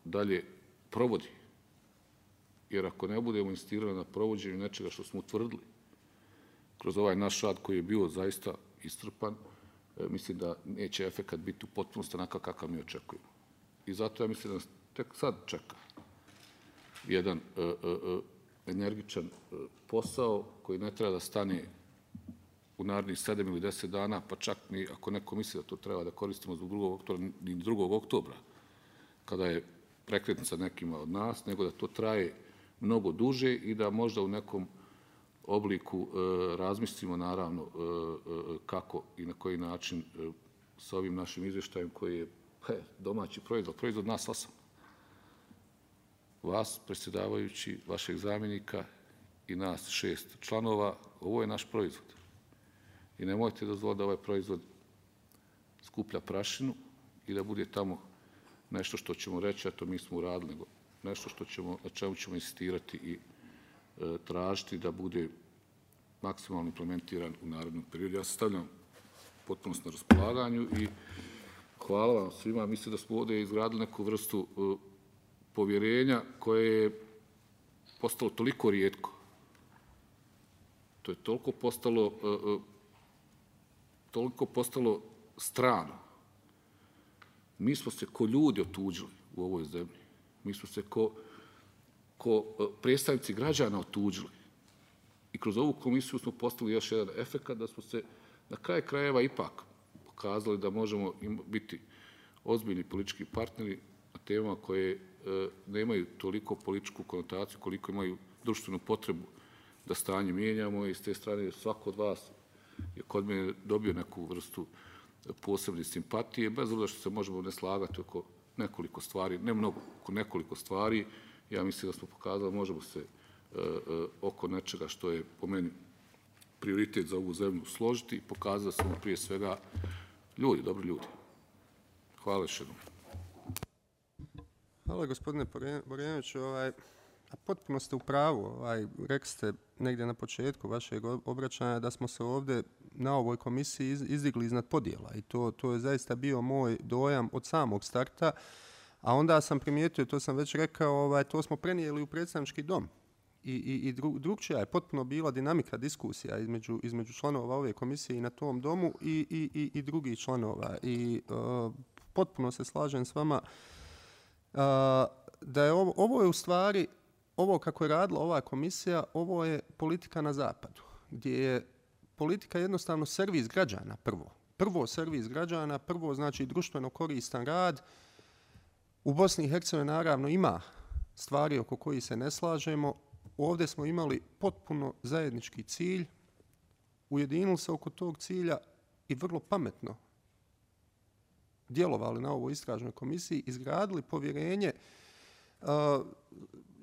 dalje provodi. Jer ako ne budemo insistirali na provođenju nečega što smo utvrdili kroz ovaj naš rad koji je bio zaista iscrpan, mislim da neće efekat biti u potpunosti onakav kakav mi očekujemo. I zato ja mislim da nas tek sad čeka jedan energičan posao koji ne treba da stane u narednih 7 ili 10 dana, pa čak ni ako neko misli da to treba da koristimo zbog 2. oktobra, kada je prekretnica nekima od nas, nego da to traje mnogo duže i da možda u nekom obliku razmislimo naravno kako i na koji način sa ovim našim izvještajem koji je domaći proizvod nas 8. Vas, predsjedavajući, vašeg zamjenika i nas 6 članova, ovo je naš proizvod. I nemojte dozvoliti da ovaj proizvod skuplja prašinu i da bude tamo nešto što ćemo reći, a to mi smo uradili, nego nešto na čemu ćemo insistirati i tražiti da bude maksimalno implementiran u narednom periodu. Ja se stavljam potpunost na raspolaganju i hvala vam svima. Mislim da smo ovdje izgradili neku vrstu povjerenja koje je postalo toliko rijetko. To je toliko postalo strano. Mi smo se ko ljudi otuđili u ovoj zemlji. Mi smo se ko predstavnici građana otuđili. I kroz ovu komisiju smo postavili još jedan efekat da smo se na kraju krajeva ipak pokazali da možemo biti ozbiljni politički partneri na temama koje nemaju toliko političku konotaciju koliko imaju društvenu potrebu da stanje mijenjamo i s te strane svako od vas je kod mene dobio neku vrstu posebne simpatije, bez obzira što se možemo ne slagati oko nekoliko stvari, ne mnogo, oko nekoliko stvari. Ja mislim da smo pokazali, možemo se oko nečega što je po meni prioritet za ovu zemlju složiti i pokazati da smo prije svega ljudi, dobri ljudi. Hvala još jednom. Hvala gospodine Borjanoviću. Potpuno ste u pravu. Rekli ste negdje na početku vašeg obraćanja da smo se ovdje na ovoj komisiji izdigli iznad podjela i to je zaista bio moj dojam od samog starta, a onda sam primijetio, to sam već rekao, to smo prenijeli u predstavnički dom i drugčija je potpuno bila dinamika diskusija između članova ove komisije i na tom domu i drugih članova i potpuno se slažem s vama da je ovo je u stvari, ovo kako je radila ova komisija, ovo je politika na zapadu, gdje je politika jednostavno servis građana prvo. Prvo servis građana, prvo znači društveno koristan rad. U Bosni i Hercegovini naravno ima stvari oko kojih se ne slažemo. Ovdje smo imali potpuno zajednički cilj, ujedinili se oko tog cilja i vrlo pametno djelovali na ovoj istražnoj komisiji, izgradili povjerenje.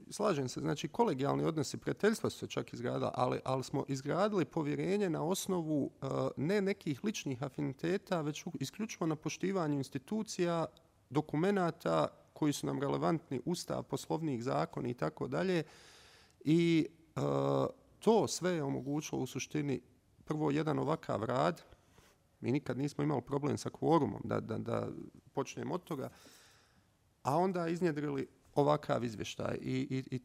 Slažem se, znači kolegijalni odnosi, prijateljstva su se čak izgradila, ali smo izgradili povjerenje na osnovu ne nekih ličnih afiniteta, već isključivo na poštivanju institucija, dokumenata koji su nam relevantni, Ustav, Poslovnik, zakoni i tako dalje. I to sve je omogućilo u suštini prvo jedan ovakav rad. Mi nikad nismo imali problem sa kvorumom, da počnemo od toga, a onda iznjedrili ovakav izvještaj. I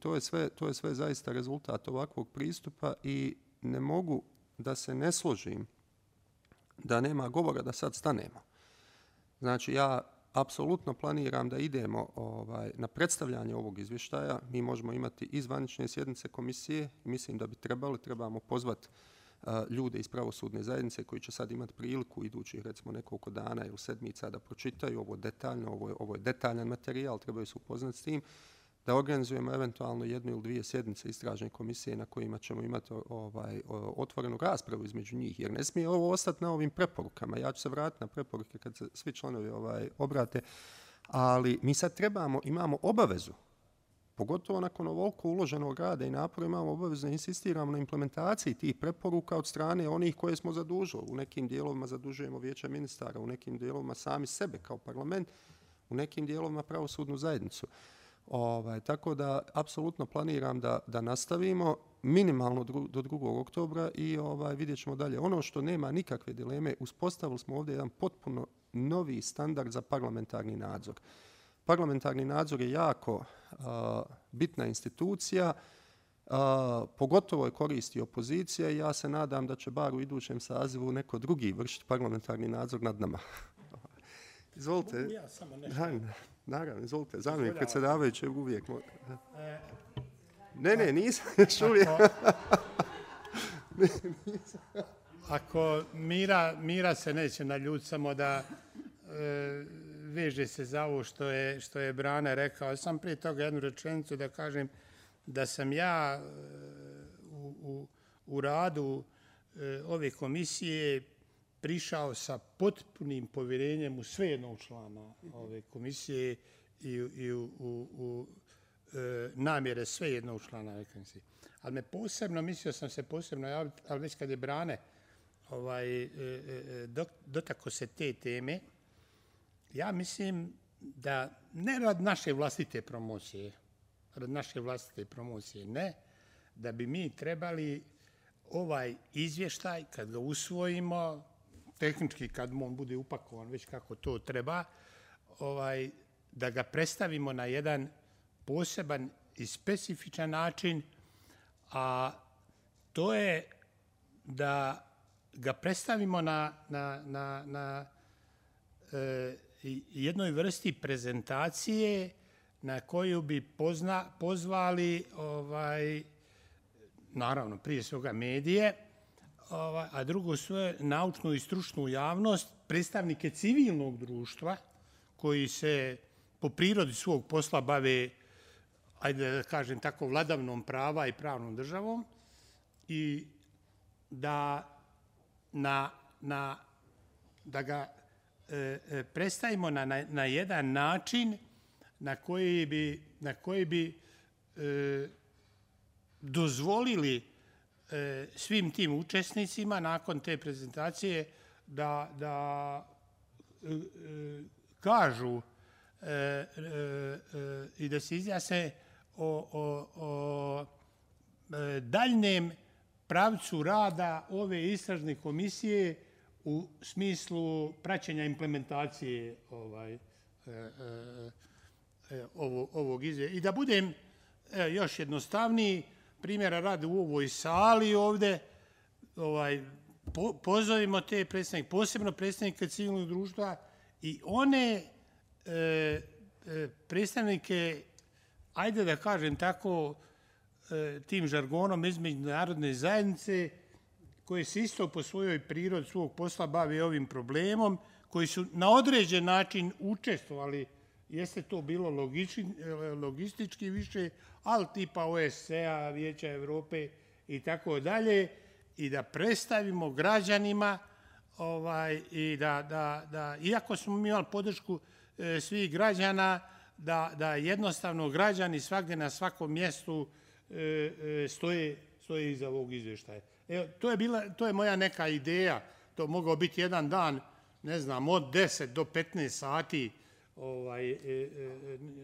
to je sve zaista rezultat ovakvog pristupa i ne mogu da se ne složim da nema govora da sad stanemo. Znači, ja apsolutno planiram da idemo na predstavljanje ovog izvještaja. Mi možemo imati i zvanične sjednice komisije. Mislim da trebamo pozvati ljude iz pravosudne zajednice koji će sad imati priliku idućih recimo nekoliko dana ili sedmica da pročitaju ovo detaljno, ovo je detaljan materijal, trebaju se upoznati s tim, da organizujemo eventualno 1 ili 2 sjednice istražne komisije na kojima ćemo imati otvorenu raspravu između njih, jer ne smije ovo ostati na ovim preporukama. Ja ću se vratiti na preporuke kad se svi članovi obrate, ali mi sad imamo obavezu, pogotovo nakon ovoliko uloženog rada i napora, imamo obavezu da insistiramo na implementaciji tih preporuka od strane onih koje smo zadužili. U nekim dijelovima zadužujemo vijeća ministara, u nekim dijelovima sami sebe kao parlament, u nekim dijelovima pravosudnu zajednicu. Tako da apsolutno planiram da nastavimo minimalno do 2. oktobra i vidjet ćemo dalje. Ono što nema nikakve dileme, uspostavili smo ovdje jedan potpuno novi standard za parlamentarni nadzor. Parlamentarni nadzor je jako bitna institucija, pogotovo je koristi opozicija i ja se nadam da će bar u idućem sazivu neko drugi vršiti parlamentarni nadzor nad nama. Izvolite. Ja samo nešto. Naravno, izvolite. Zamjenik predsjedavajućeg uvijek. Ne, nisam još uvijek. Ako Mira se neće naljutiti, samo da veže se za ovo što je Brane rekao. Sam prije toga jednu rečenicu da kažem da sam ja u radu ove komisije prišao sa potpunim povjerenjem u sve jednog člana ove komisije i u namjere sve jednog člana ove komisije. Ali mislio sam se posebno javiti, ali već kad je Brane dotako se te teme, ja mislim da ne rad naše vlastite promocije, ne, da bi mi trebali ovaj izvještaj, kad ga usvojimo, tehnički kad on bude upakovan već kako to treba, da ga predstavimo na jedan poseban i specifičan način, a to je da ga predstavimo na jednoj vrsti prezentacije na koju bi pozvali, naravno, prije svega medije, a drugo sve naučnu i stručnu javnost, predstavnike civilnog društva koji se po prirodi svog posla bave, ajde da kažem tako, vladavnom prava i pravnom državom i da ga predstavimo na jedan način na koji bi dozvolili svim tim učesnicima nakon te prezentacije da kažu i da se izjasne o daljnjem pravcu rada ove istražne komisije u smislu praćenja implementacije ovog izvješća. I da budem još jednostavniji, primjera radi u ovoj sali ovdje, pozovimo te predstavnike, posebno predstavnike civilnog društva i one predstavnike, ajde da kažem tako, tim žargonom između narodne zajednice, koji se isto po svojoj prirodi svog posla bave ovim problemom, koji su na određen način učestvovali, jeste to bilo logistički više, ali tipa OSCE-a, Vijeća Evrope i tako dalje, i da predstavimo građanima i da iako smo imali podršku svih građana, da jednostavno građani svagdje na svakom mjestu stoje iza ovog izvještaja. To je moja neka ideja. To mogao biti jedan dan, ne znam, od 10 do 15 sati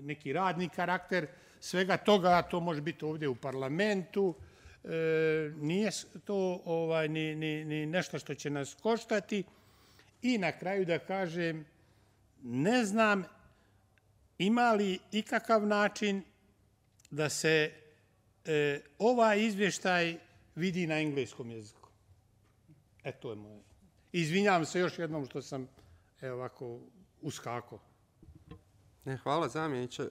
neki radni karakter svega toga. To može biti ovdje u parlamentu. Nije to ni nešto što će nas koštati. I na kraju da kažem, ne znam ima li ikakav način da se ovaj izvještaj vidi na engleskom jeziku. To je moje. Izvinjavam se još jednom što sam ovako uskakao. Hvala zamjeniče.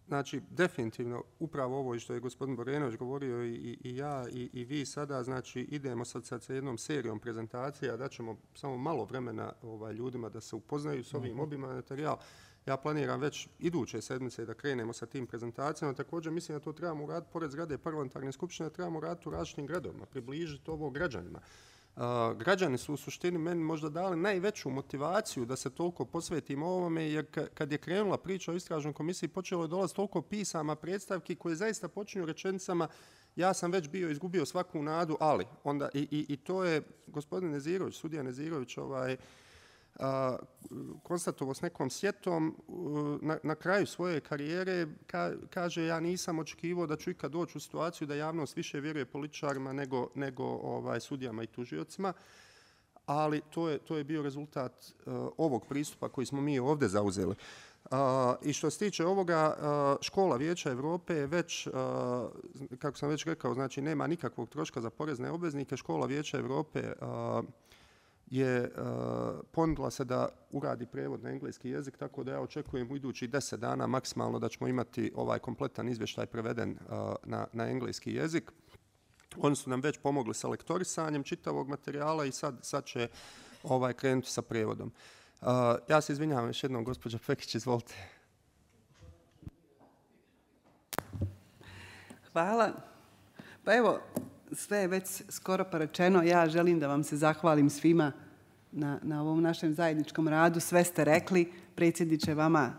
Znači, definitivno, upravo ovo što je gospodin Borenović govorio i ja i vi sada, znači, idemo sad sa jednom serijom prezentacija, da ćemo samo malo vremena ljudima da se upoznaju s ovim obimom materijala. Ja planiram već iduće sedmice da krenemo sa tim prezentacijama. Također mislim da to trebamo uraditi pored zgrade parlamentarne skupštine, trebamo uraditi u različitim gradovima, približiti ovo građanima. Građani su u suštini meni možda dali najveću motivaciju da se toliko posvetimo ovome, jer kad je krenula priča o istražnoj komisiji, počelo je dolaziti toliko pisama, predstavki koje zaista počinju rečenicama ja sam već bio izgubio svaku nadu, ali onda i to je gospodin Nezirović, sudija Nezirović, konstatovao s nekom sjetom na kraju svoje karijere, kaže ja nisam očekivao da ću ikad doći u situaciju da javnost više vjeruje političarima nego sudijama i tužiocima, ali to je bio rezultat ovog pristupa koji smo mi ovdje zauzeli. I što se tiče ovoga, škola Vijeća Europe je već, kako sam već rekao, znači nema nikakvog troška za porezne obveznike. Škola Vijeća Europe je ponudila se da uradi prijevod na engleski jezik, tako da ja očekujem u idućih 10 dana maksimalno da ćemo imati ovaj kompletan izvještaj preveden na engleski jezik. Oni su nam već pomogli sa lektorisanjem čitavog materijala i sad će krenuti sa prijevodom. Ja se izvinjavam još jednom, gospođa Pekić, izvolite. Hvala. Pa evo, sve je već skoro pa rečeno. Ja želim da vam se zahvalim svima na ovom našem zajedničkom radu. Sve ste rekli. Predsjedniče, vama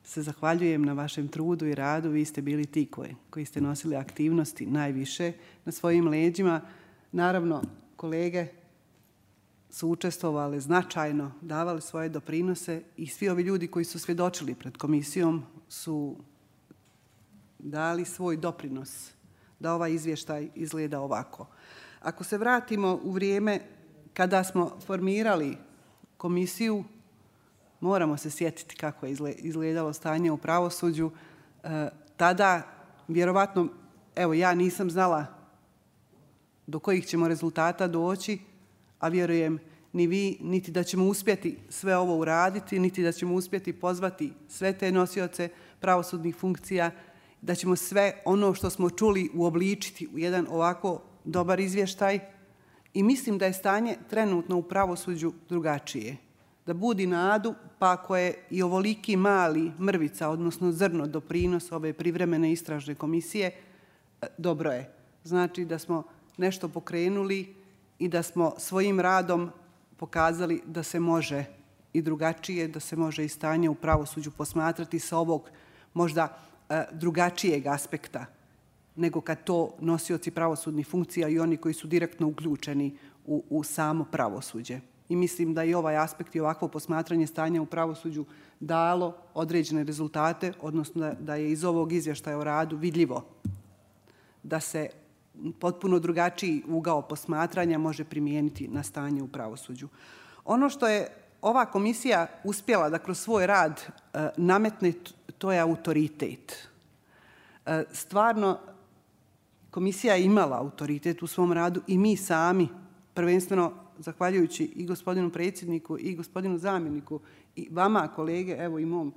se zahvaljujem na vašem trudu i radu. Vi ste bili ti koji ste nosili aktivnosti najviše na svojim leđima. Naravno, kolege su učestvovali značajno, davali svoje doprinose i svi ovi ljudi koji su svjedočili pred komisijom su dali svoj doprinos da ovaj izvještaj izgleda ovako. Ako se vratimo u vrijeme kada smo formirali komisiju, moramo se sjetiti kako je izgledalo stanje u pravosuđu. Tada, vjerovatno, evo ja nisam znala do kojih ćemo rezultata doći, a vjerujem ni vi, niti da ćemo uspjeti sve ovo uraditi, niti da ćemo uspjeti pozvati sve te nosioce pravosudnih funkcija, da ćemo sve ono što smo čuli uobličiti u jedan ovako dobar izvještaj. I mislim da je stanje trenutno u pravosuđu drugačije. Da budi nadu, pa ako je i ovoliki mali mrvica, odnosno zrno doprinos ove privremene istražne komisije, dobro je. Znači da smo nešto pokrenuli i da smo svojim radom pokazali da se može i drugačije, da se može i stanje u pravosuđu posmatrati sa ovog možda drugačijeg aspekta nego kad to nosioci pravosudnih funkcija i oni koji su direktno uključeni u samo pravosuđe. I mislim da i ovaj aspekt i ovakvo posmatranje stanja u pravosuđu dalo određene rezultate, odnosno da je iz ovog izvještaja o radu vidljivo da se potpuno drugačiji ugao posmatranja može primijeniti na stanje u pravosuđu. Ono što je ova komisija uspjela da kroz svoj rad nametne, to je autoritet. Stvarno, komisija je imala autoritet u svom radu i mi sami, prvenstveno zahvaljujući i gospodinu predsjedniku i gospodinu zamjeniku i vama, kolege, evo i mom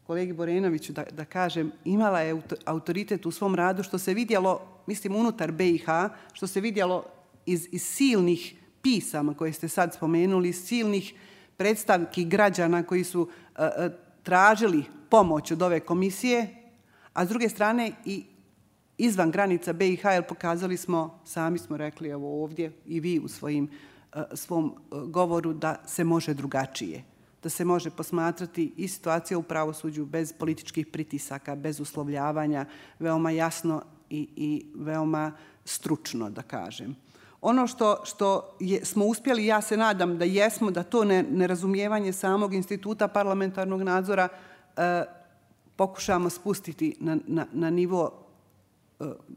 kolegi Borenoviću, da kažem, imala je autoritet u svom radu, što se vidjelo, mislim, unutar BiH, što se vidjelo iz silnih pisama koje ste sad spomenuli, silnih predstavki građana koji su tražili pomoć od ove komisije, a s druge strane i izvan granica BiH, jer pokazali smo, sami smo rekli, evo ovdje i vi u svojim svom govoru da se može drugačije, da se može posmatrati i situacija u pravosuđu bez političkih pritisaka, bez uslovljavanja, veoma jasno i veoma stručno, da kažem. Ono što smo uspjeli, ja se nadam da jesmo, da to nerazumijevanje samog instituta parlamentarnog nadzora pokušamo spustiti na nivo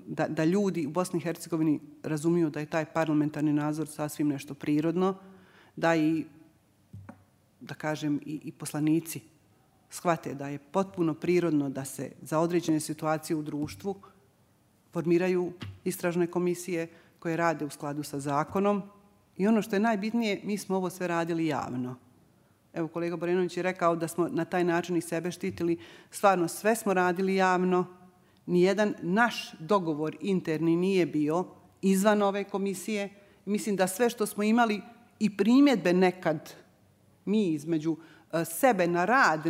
da ljudi u Bosni i Hercegovini razumiju da je taj parlamentarni nadzor sasvim nešto prirodno, da i, da kažem, i poslanici shvate da je potpuno prirodno da se za određene situacije u društvu formiraju istražne komisije koje rade u skladu sa zakonom. I ono što je najbitnije, mi smo ovo sve radili javno. Evo, kolega Borenović je rekao da smo na taj način i sebe štitili. Stvarno, sve smo radili javno. Nijedan naš dogovor interni nije bio izvan ove komisije. Mislim da sve što smo imali i primjedbe nekad mi između sebe na rad,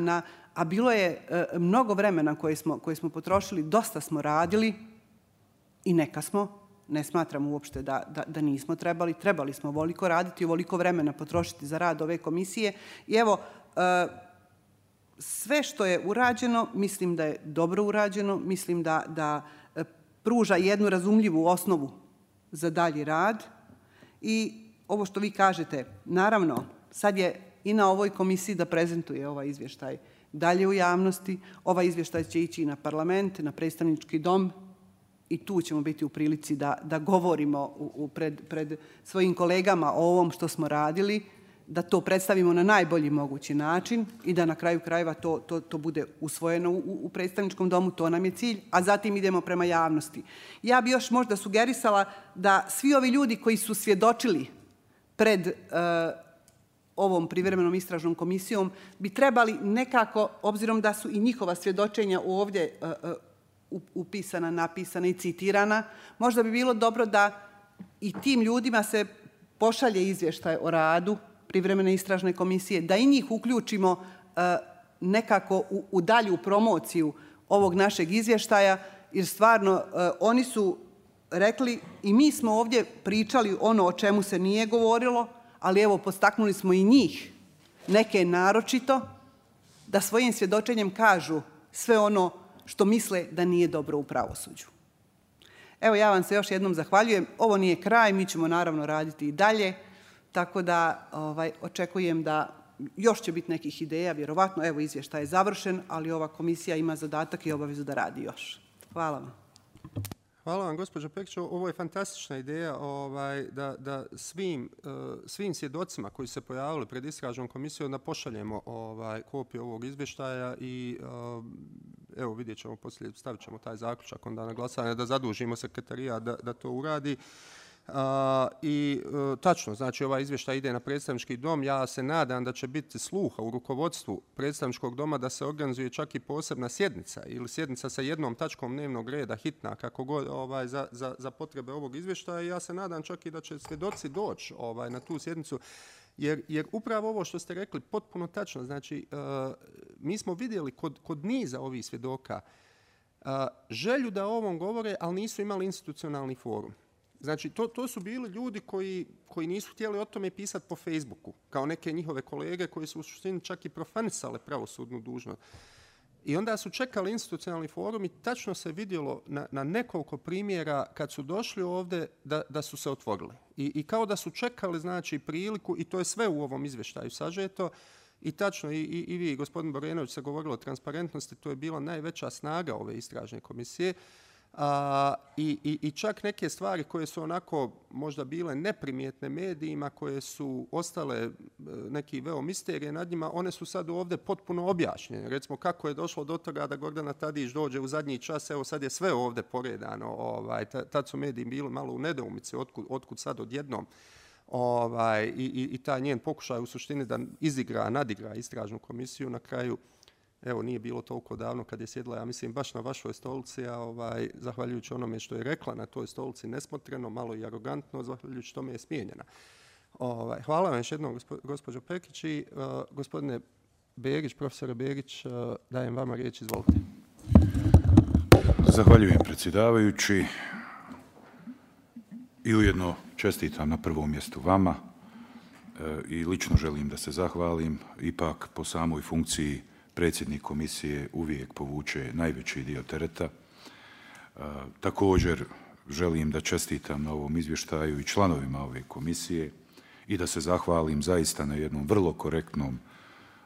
a bilo je mnogo vremena koje smo potrošili, dosta smo radili i neka smo. Ne smatram uopšte da nismo trebali. Trebali smo ovoliko raditi i ovoliko vremena potrošiti za rad ove komisije. I evo, sve što je urađeno, mislim da je dobro urađeno, mislim da pruža jednu razumljivu osnovu za dalji rad. I ovo što vi kažete, naravno, sad je i na ovoj komisiji da prezentuje ovaj izvještaj dalje u javnosti. Ovaj izvještaj će ići i na parlament, na predstavnički dom, i tu ćemo biti u prilici da govorimo pred svojim kolegama o ovom što smo radili, da to predstavimo na najbolji mogući način i da na kraju krajeva to bude usvojeno u predstavničkom domu, to nam je cilj, a zatim idemo prema javnosti. Ja bi još možda sugerisala da svi ovi ljudi koji su svjedočili pred ovom privremenom istražnom komisijom bi trebali nekako, obzirom da su i njihova svjedočenja ovdje upisana, napisana i citirana, možda bi bilo dobro da i tim ljudima se pošalje izvještaj o radu privremene istražne komisije, da i njih uključimo nekako u dalju promociju ovog našeg izvještaja, jer stvarno oni su rekli i mi smo ovdje pričali ono o čemu se nije govorilo, ali evo postaknuli smo i njih, neke naročito, da svojim svjedočenjem kažu sve ono što misle da nije dobro u pravosuđu. Evo, ja vam se još jednom zahvaljujem. Ovo nije kraj, mi ćemo naravno raditi i dalje, tako da očekujem da još će biti nekih ideja, vjerovatno, evo, izvještaj je završen, ali ova komisija ima zadatak i obavezu da radi još. Hvala vam. Hvala vam, gospođo Pekić. Ovo je fantastična ideja da svim svjedocima koji se pojavili pred istražnom komisijom da pošaljemo kopiju ovog izvještaja i evo vidjet ćemo poslije, stavit ćemo taj zaključak onda na glasanje da zadužimo sekretarijat da to uradi. I tačno, znači ovaj izvještaj ide na predstavnički dom. Ja se nadam da će biti sluha u rukovodstvu predstavničkog doma da se organizuje čak i posebna sjednica ili sjednica sa jednom tačkom dnevnog reda, hitna, kako god, za potrebe ovog izvještaja. Ja se nadam čak i da će svjedoci doći na tu sjednicu. Jer upravo ovo što ste rekli, potpuno tačno, znači mi smo vidjeli kod niza ovih svjedoka želju da o ovom govore, ali nisu imali institucionalni forum. Znači, to su bili ljudi koji nisu htjeli o tome pisati po Facebooku, kao neke njihove kolege koji su u suštini čak i profanisale pravosudnu dužnost. I onda su čekali institucionalni forum i tačno se vidjelo na nekoliko primjera kad su došli ovdje da su se otvorili. I kao da su čekali, znači, priliku, i to je sve u ovom izvještaju sažeto. I tačno, i vi, gospodin Borenović, se govorilo o transparentnosti, to je bila najveća snaga ove istražne komisije. I čak neke stvari koje su onako možda bile neprimjetne medijima, koje su ostale neki veo misterije nad njima, one su sad ovdje potpuno objašnjene. Recimo kako je došlo do toga da Gordana Tadić dođe u zadnji čas, evo sad je sve ovdje poredano. Tad su mediji bili malo u nedoumici, otkud sad odjednom. I taj njen pokušaj u suštini da nadigra istražnu komisiju na kraju. Evo, nije bilo toliko davno kad je sjedla, ja mislim, baš na vašoj stolici, a zahvaljujući onome što je rekla na toj stolici nesmotreno, malo i arogantno, zahvaljujući tome je smijenjena. Hvala vam još jednom, gospođo Pekić, i gospodine Begić, profesore Begić, dajem vama riječ, izvolite. Zahvaljujem, predsjedavajući, i ujedno čestitam na prvom mjestu vama i lično želim da se zahvalim. Ipak po samoj funkciji predsjednik komisije uvijek povuče najveći dio tereta. Također želim da čestitam na ovom izvještaju i članovima ove komisije i da se zahvalim zaista na jednom vrlo korektnom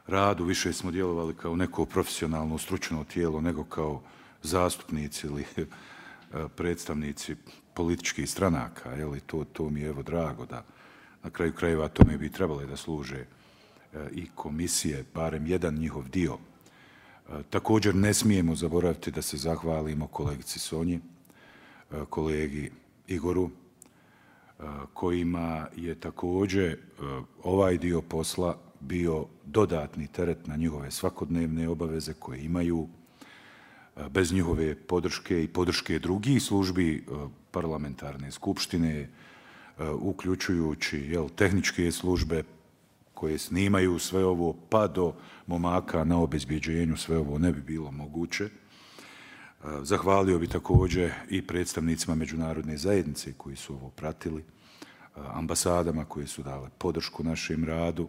radu. Više smo djelovali kao neko profesionalno stručno tijelo nego kao zastupnici ili predstavnici političkih stranaka. To mi je evo drago da na kraju krajeva tome bi trebale da služe i komisije, barem jedan njihov dio. Također ne smijemo zaboraviti da se zahvalimo kolegici Sonji, kolegi Igoru, kojima je također ovaj dio posla bio dodatni teret na njihove svakodnevne obaveze koje imaju. Bez njihove podrške i podrške drugih službi parlamentarne skupštine, uključujući tehničke službe koje snimaju sve ovo, pa do momaka na obezbjeđenju, sve ovo ne bi bilo moguće. Zahvalio bi također i predstavnicima međunarodne zajednice koji su ovo pratili, ambasadama koje su dale podršku našem radu,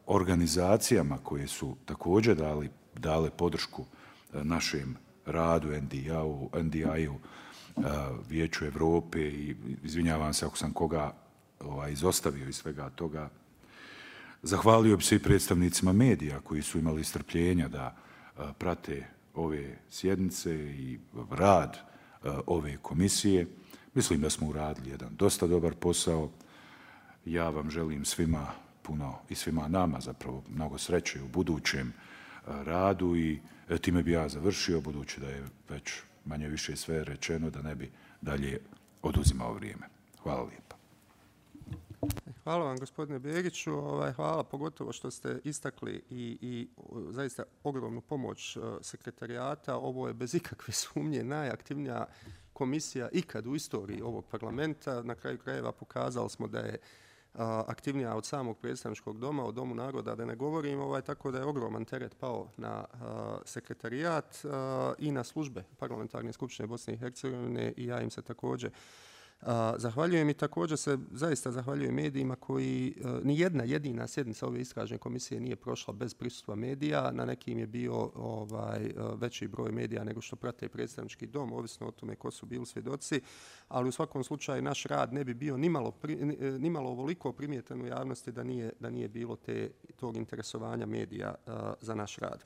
organizacijama koje su također dale podršku našem radu, NDI-u, Vijeću Evrope i izvinjavam se ako sam koga izostavio iz svega toga. Zahvalio bi se i predstavnicima medija koji su imali strpljenja da prate ove sjednice i rad ove komisije. Mislim da smo uradili jedan dosta dobar posao. Ja vam želim svima puno i svima nama zapravo mnogo sreće u budućem radu i time bi ja završio, budući da je već manje više sve rečeno, da ne bi dalje oduzimao vrijeme. Hvala lijepa. Hvala vam, gospodine Begiću. Hvala pogotovo što ste istakli i zaista ogromnu pomoć sekretarijata. Ovo je bez ikakve sumnje najaktivnija komisija ikad u istoriji ovog parlamenta. Na kraju krajeva pokazali smo da je aktivnija od samog predstavničkog doma, od Domu naroda, da ne govorim, tako da je ogroman teret pao na sekretarijat i na službe Parlamentarne skupštine Bosne i Hercegovine i ja im se također zahvaljujem i također se zaista zahvaljujem medijima koji ni jedna jedina sjednica ove istražne komisije nije prošla bez prisustva medija. Na nekim je bio veći broj medija nego što prate predstavnički dom, ovisno o tome ko su bili svjedoci, ali u svakom slučaju naš rad ne bi bio nimalo ovoliko primjetan u javnosti da nije bilo tog interesovanja medija za naš rad.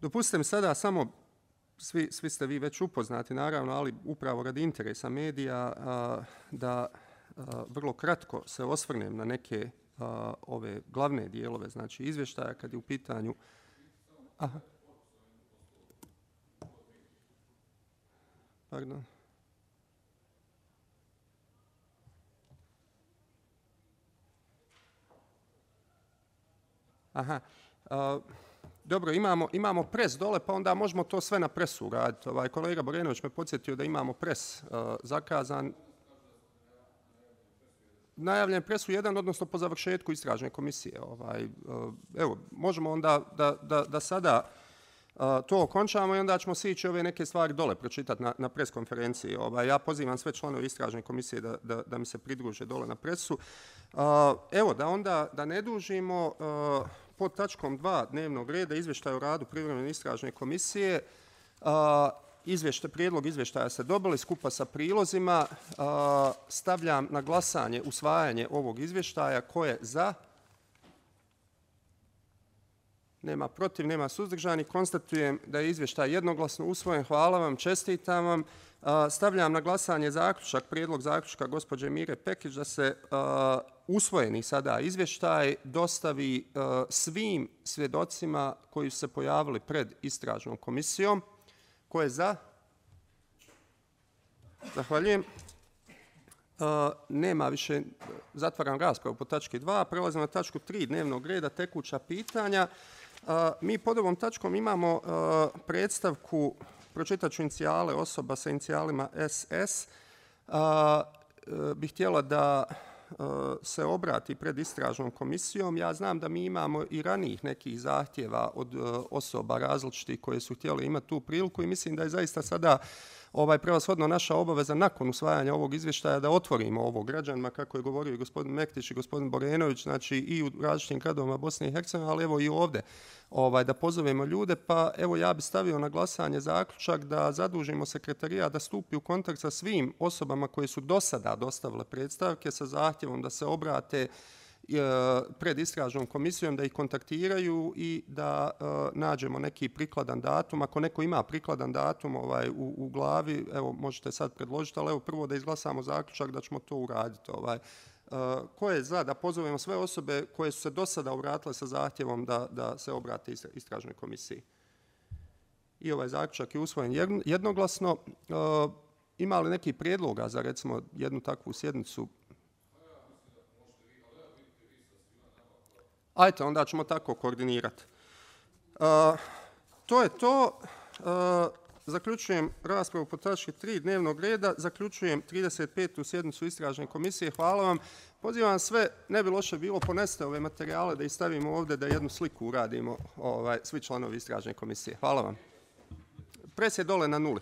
Dopustite mi sada samo, svi ste vi već upoznati naravno, ali upravo radi interesa medija da vrlo kratko se osvrnem na neke ove glavne dijelove, znači izvještaja kad je u pitanju... Aha. Pardon. Aha. Dobro, imamo pres dole, pa onda možemo to sve na presu raditi. Kolega Borenović me podsjetio da imamo pres zakazan. Najavljen pres u 1, odnosno po završetku istražne komisije. Evo, možemo onda da sada to okončamo i onda ćemo se ići ove neke stvari dole pročitati na pres konferenciji. Ja pozivam sve članove istražne komisije da mi se pridruže dole na presu. Evo, da ne dužimo... Pod tačkom 2 dnevnog reda izvještaj o radu privremene istražne komisije. Prijedlog izvještaja ste dobili skupa sa prilozima. Stavljam na glasanje usvajanje ovog izvještaja. Ko je za? Nema protiv, nema suzdržani. Konstatujem da je izvještaj jednoglasno usvojen. Hvala vam, čestitam vam. Stavljam na glasanje prijedlog zaključka gospođe Mire Pekić da se usvojeni sada izvještaj dostavi svim svjedocima koji su se pojavili pred istražnom komisijom. Ko je za? Zahvaljujem. Nema više, zatvaram raspravu po tački 2. Prelazimo na tačku 3 dnevnog reda, tekuća pitanja. Mi pod ovom tačkom imamo predstavku, pročitat ću inicijale osoba sa inicijalima SS. Bih htjela da se obrati pred istražnom komisijom. Ja znam da mi imamo i ranijih nekih zahtjeva od osoba različitih koje su htjeli imati tu priliku i mislim da je zaista sada prevashodno naša obaveza nakon usvajanja ovog izvještaja da otvorimo ovo građanima, kako je govorio i gospodin Mektić i gospodin Borenović, znači i u različitim gradovima Bosne i Hercegovine, ali evo i ovdje, da pozovemo ljude. Pa evo ja bih stavio na glasanje zaključak da zadužimo sekretarijat da stupi u kontakt sa svim osobama koje su do sada dostavile predstavke sa zahtjevom da se obrate pred istražnom komisijom, da ih kontaktiraju i da nađemo neki prikladan datum. Ako neko ima prikladan datum u glavi, evo možete sad predložiti, ali evo prvo da izglasamo zaključak da ćemo to uraditi. Ko je za da pozovemo sve osobe koje su se do sada obratile sa zahtjevom da se obrate istražnoj komisiji? I ovaj zaključak je usvojen jednoglasno. Ima li neki prijedloga za recimo jednu takvu sjednicu? Ajde, onda ćemo tako koordinirati. To je to. Zaključujem raspravu po tački 3 dnevnog reda. Zaključujem 35. sjednicu istražne komisije. Hvala vam. Pozivam sve, ne bi loše bilo, ponesite ove materijale da ih stavimo ovdje, da jednu sliku uradimo svi članovi istražne komisije. Hvala vam. Pres je dole na 0.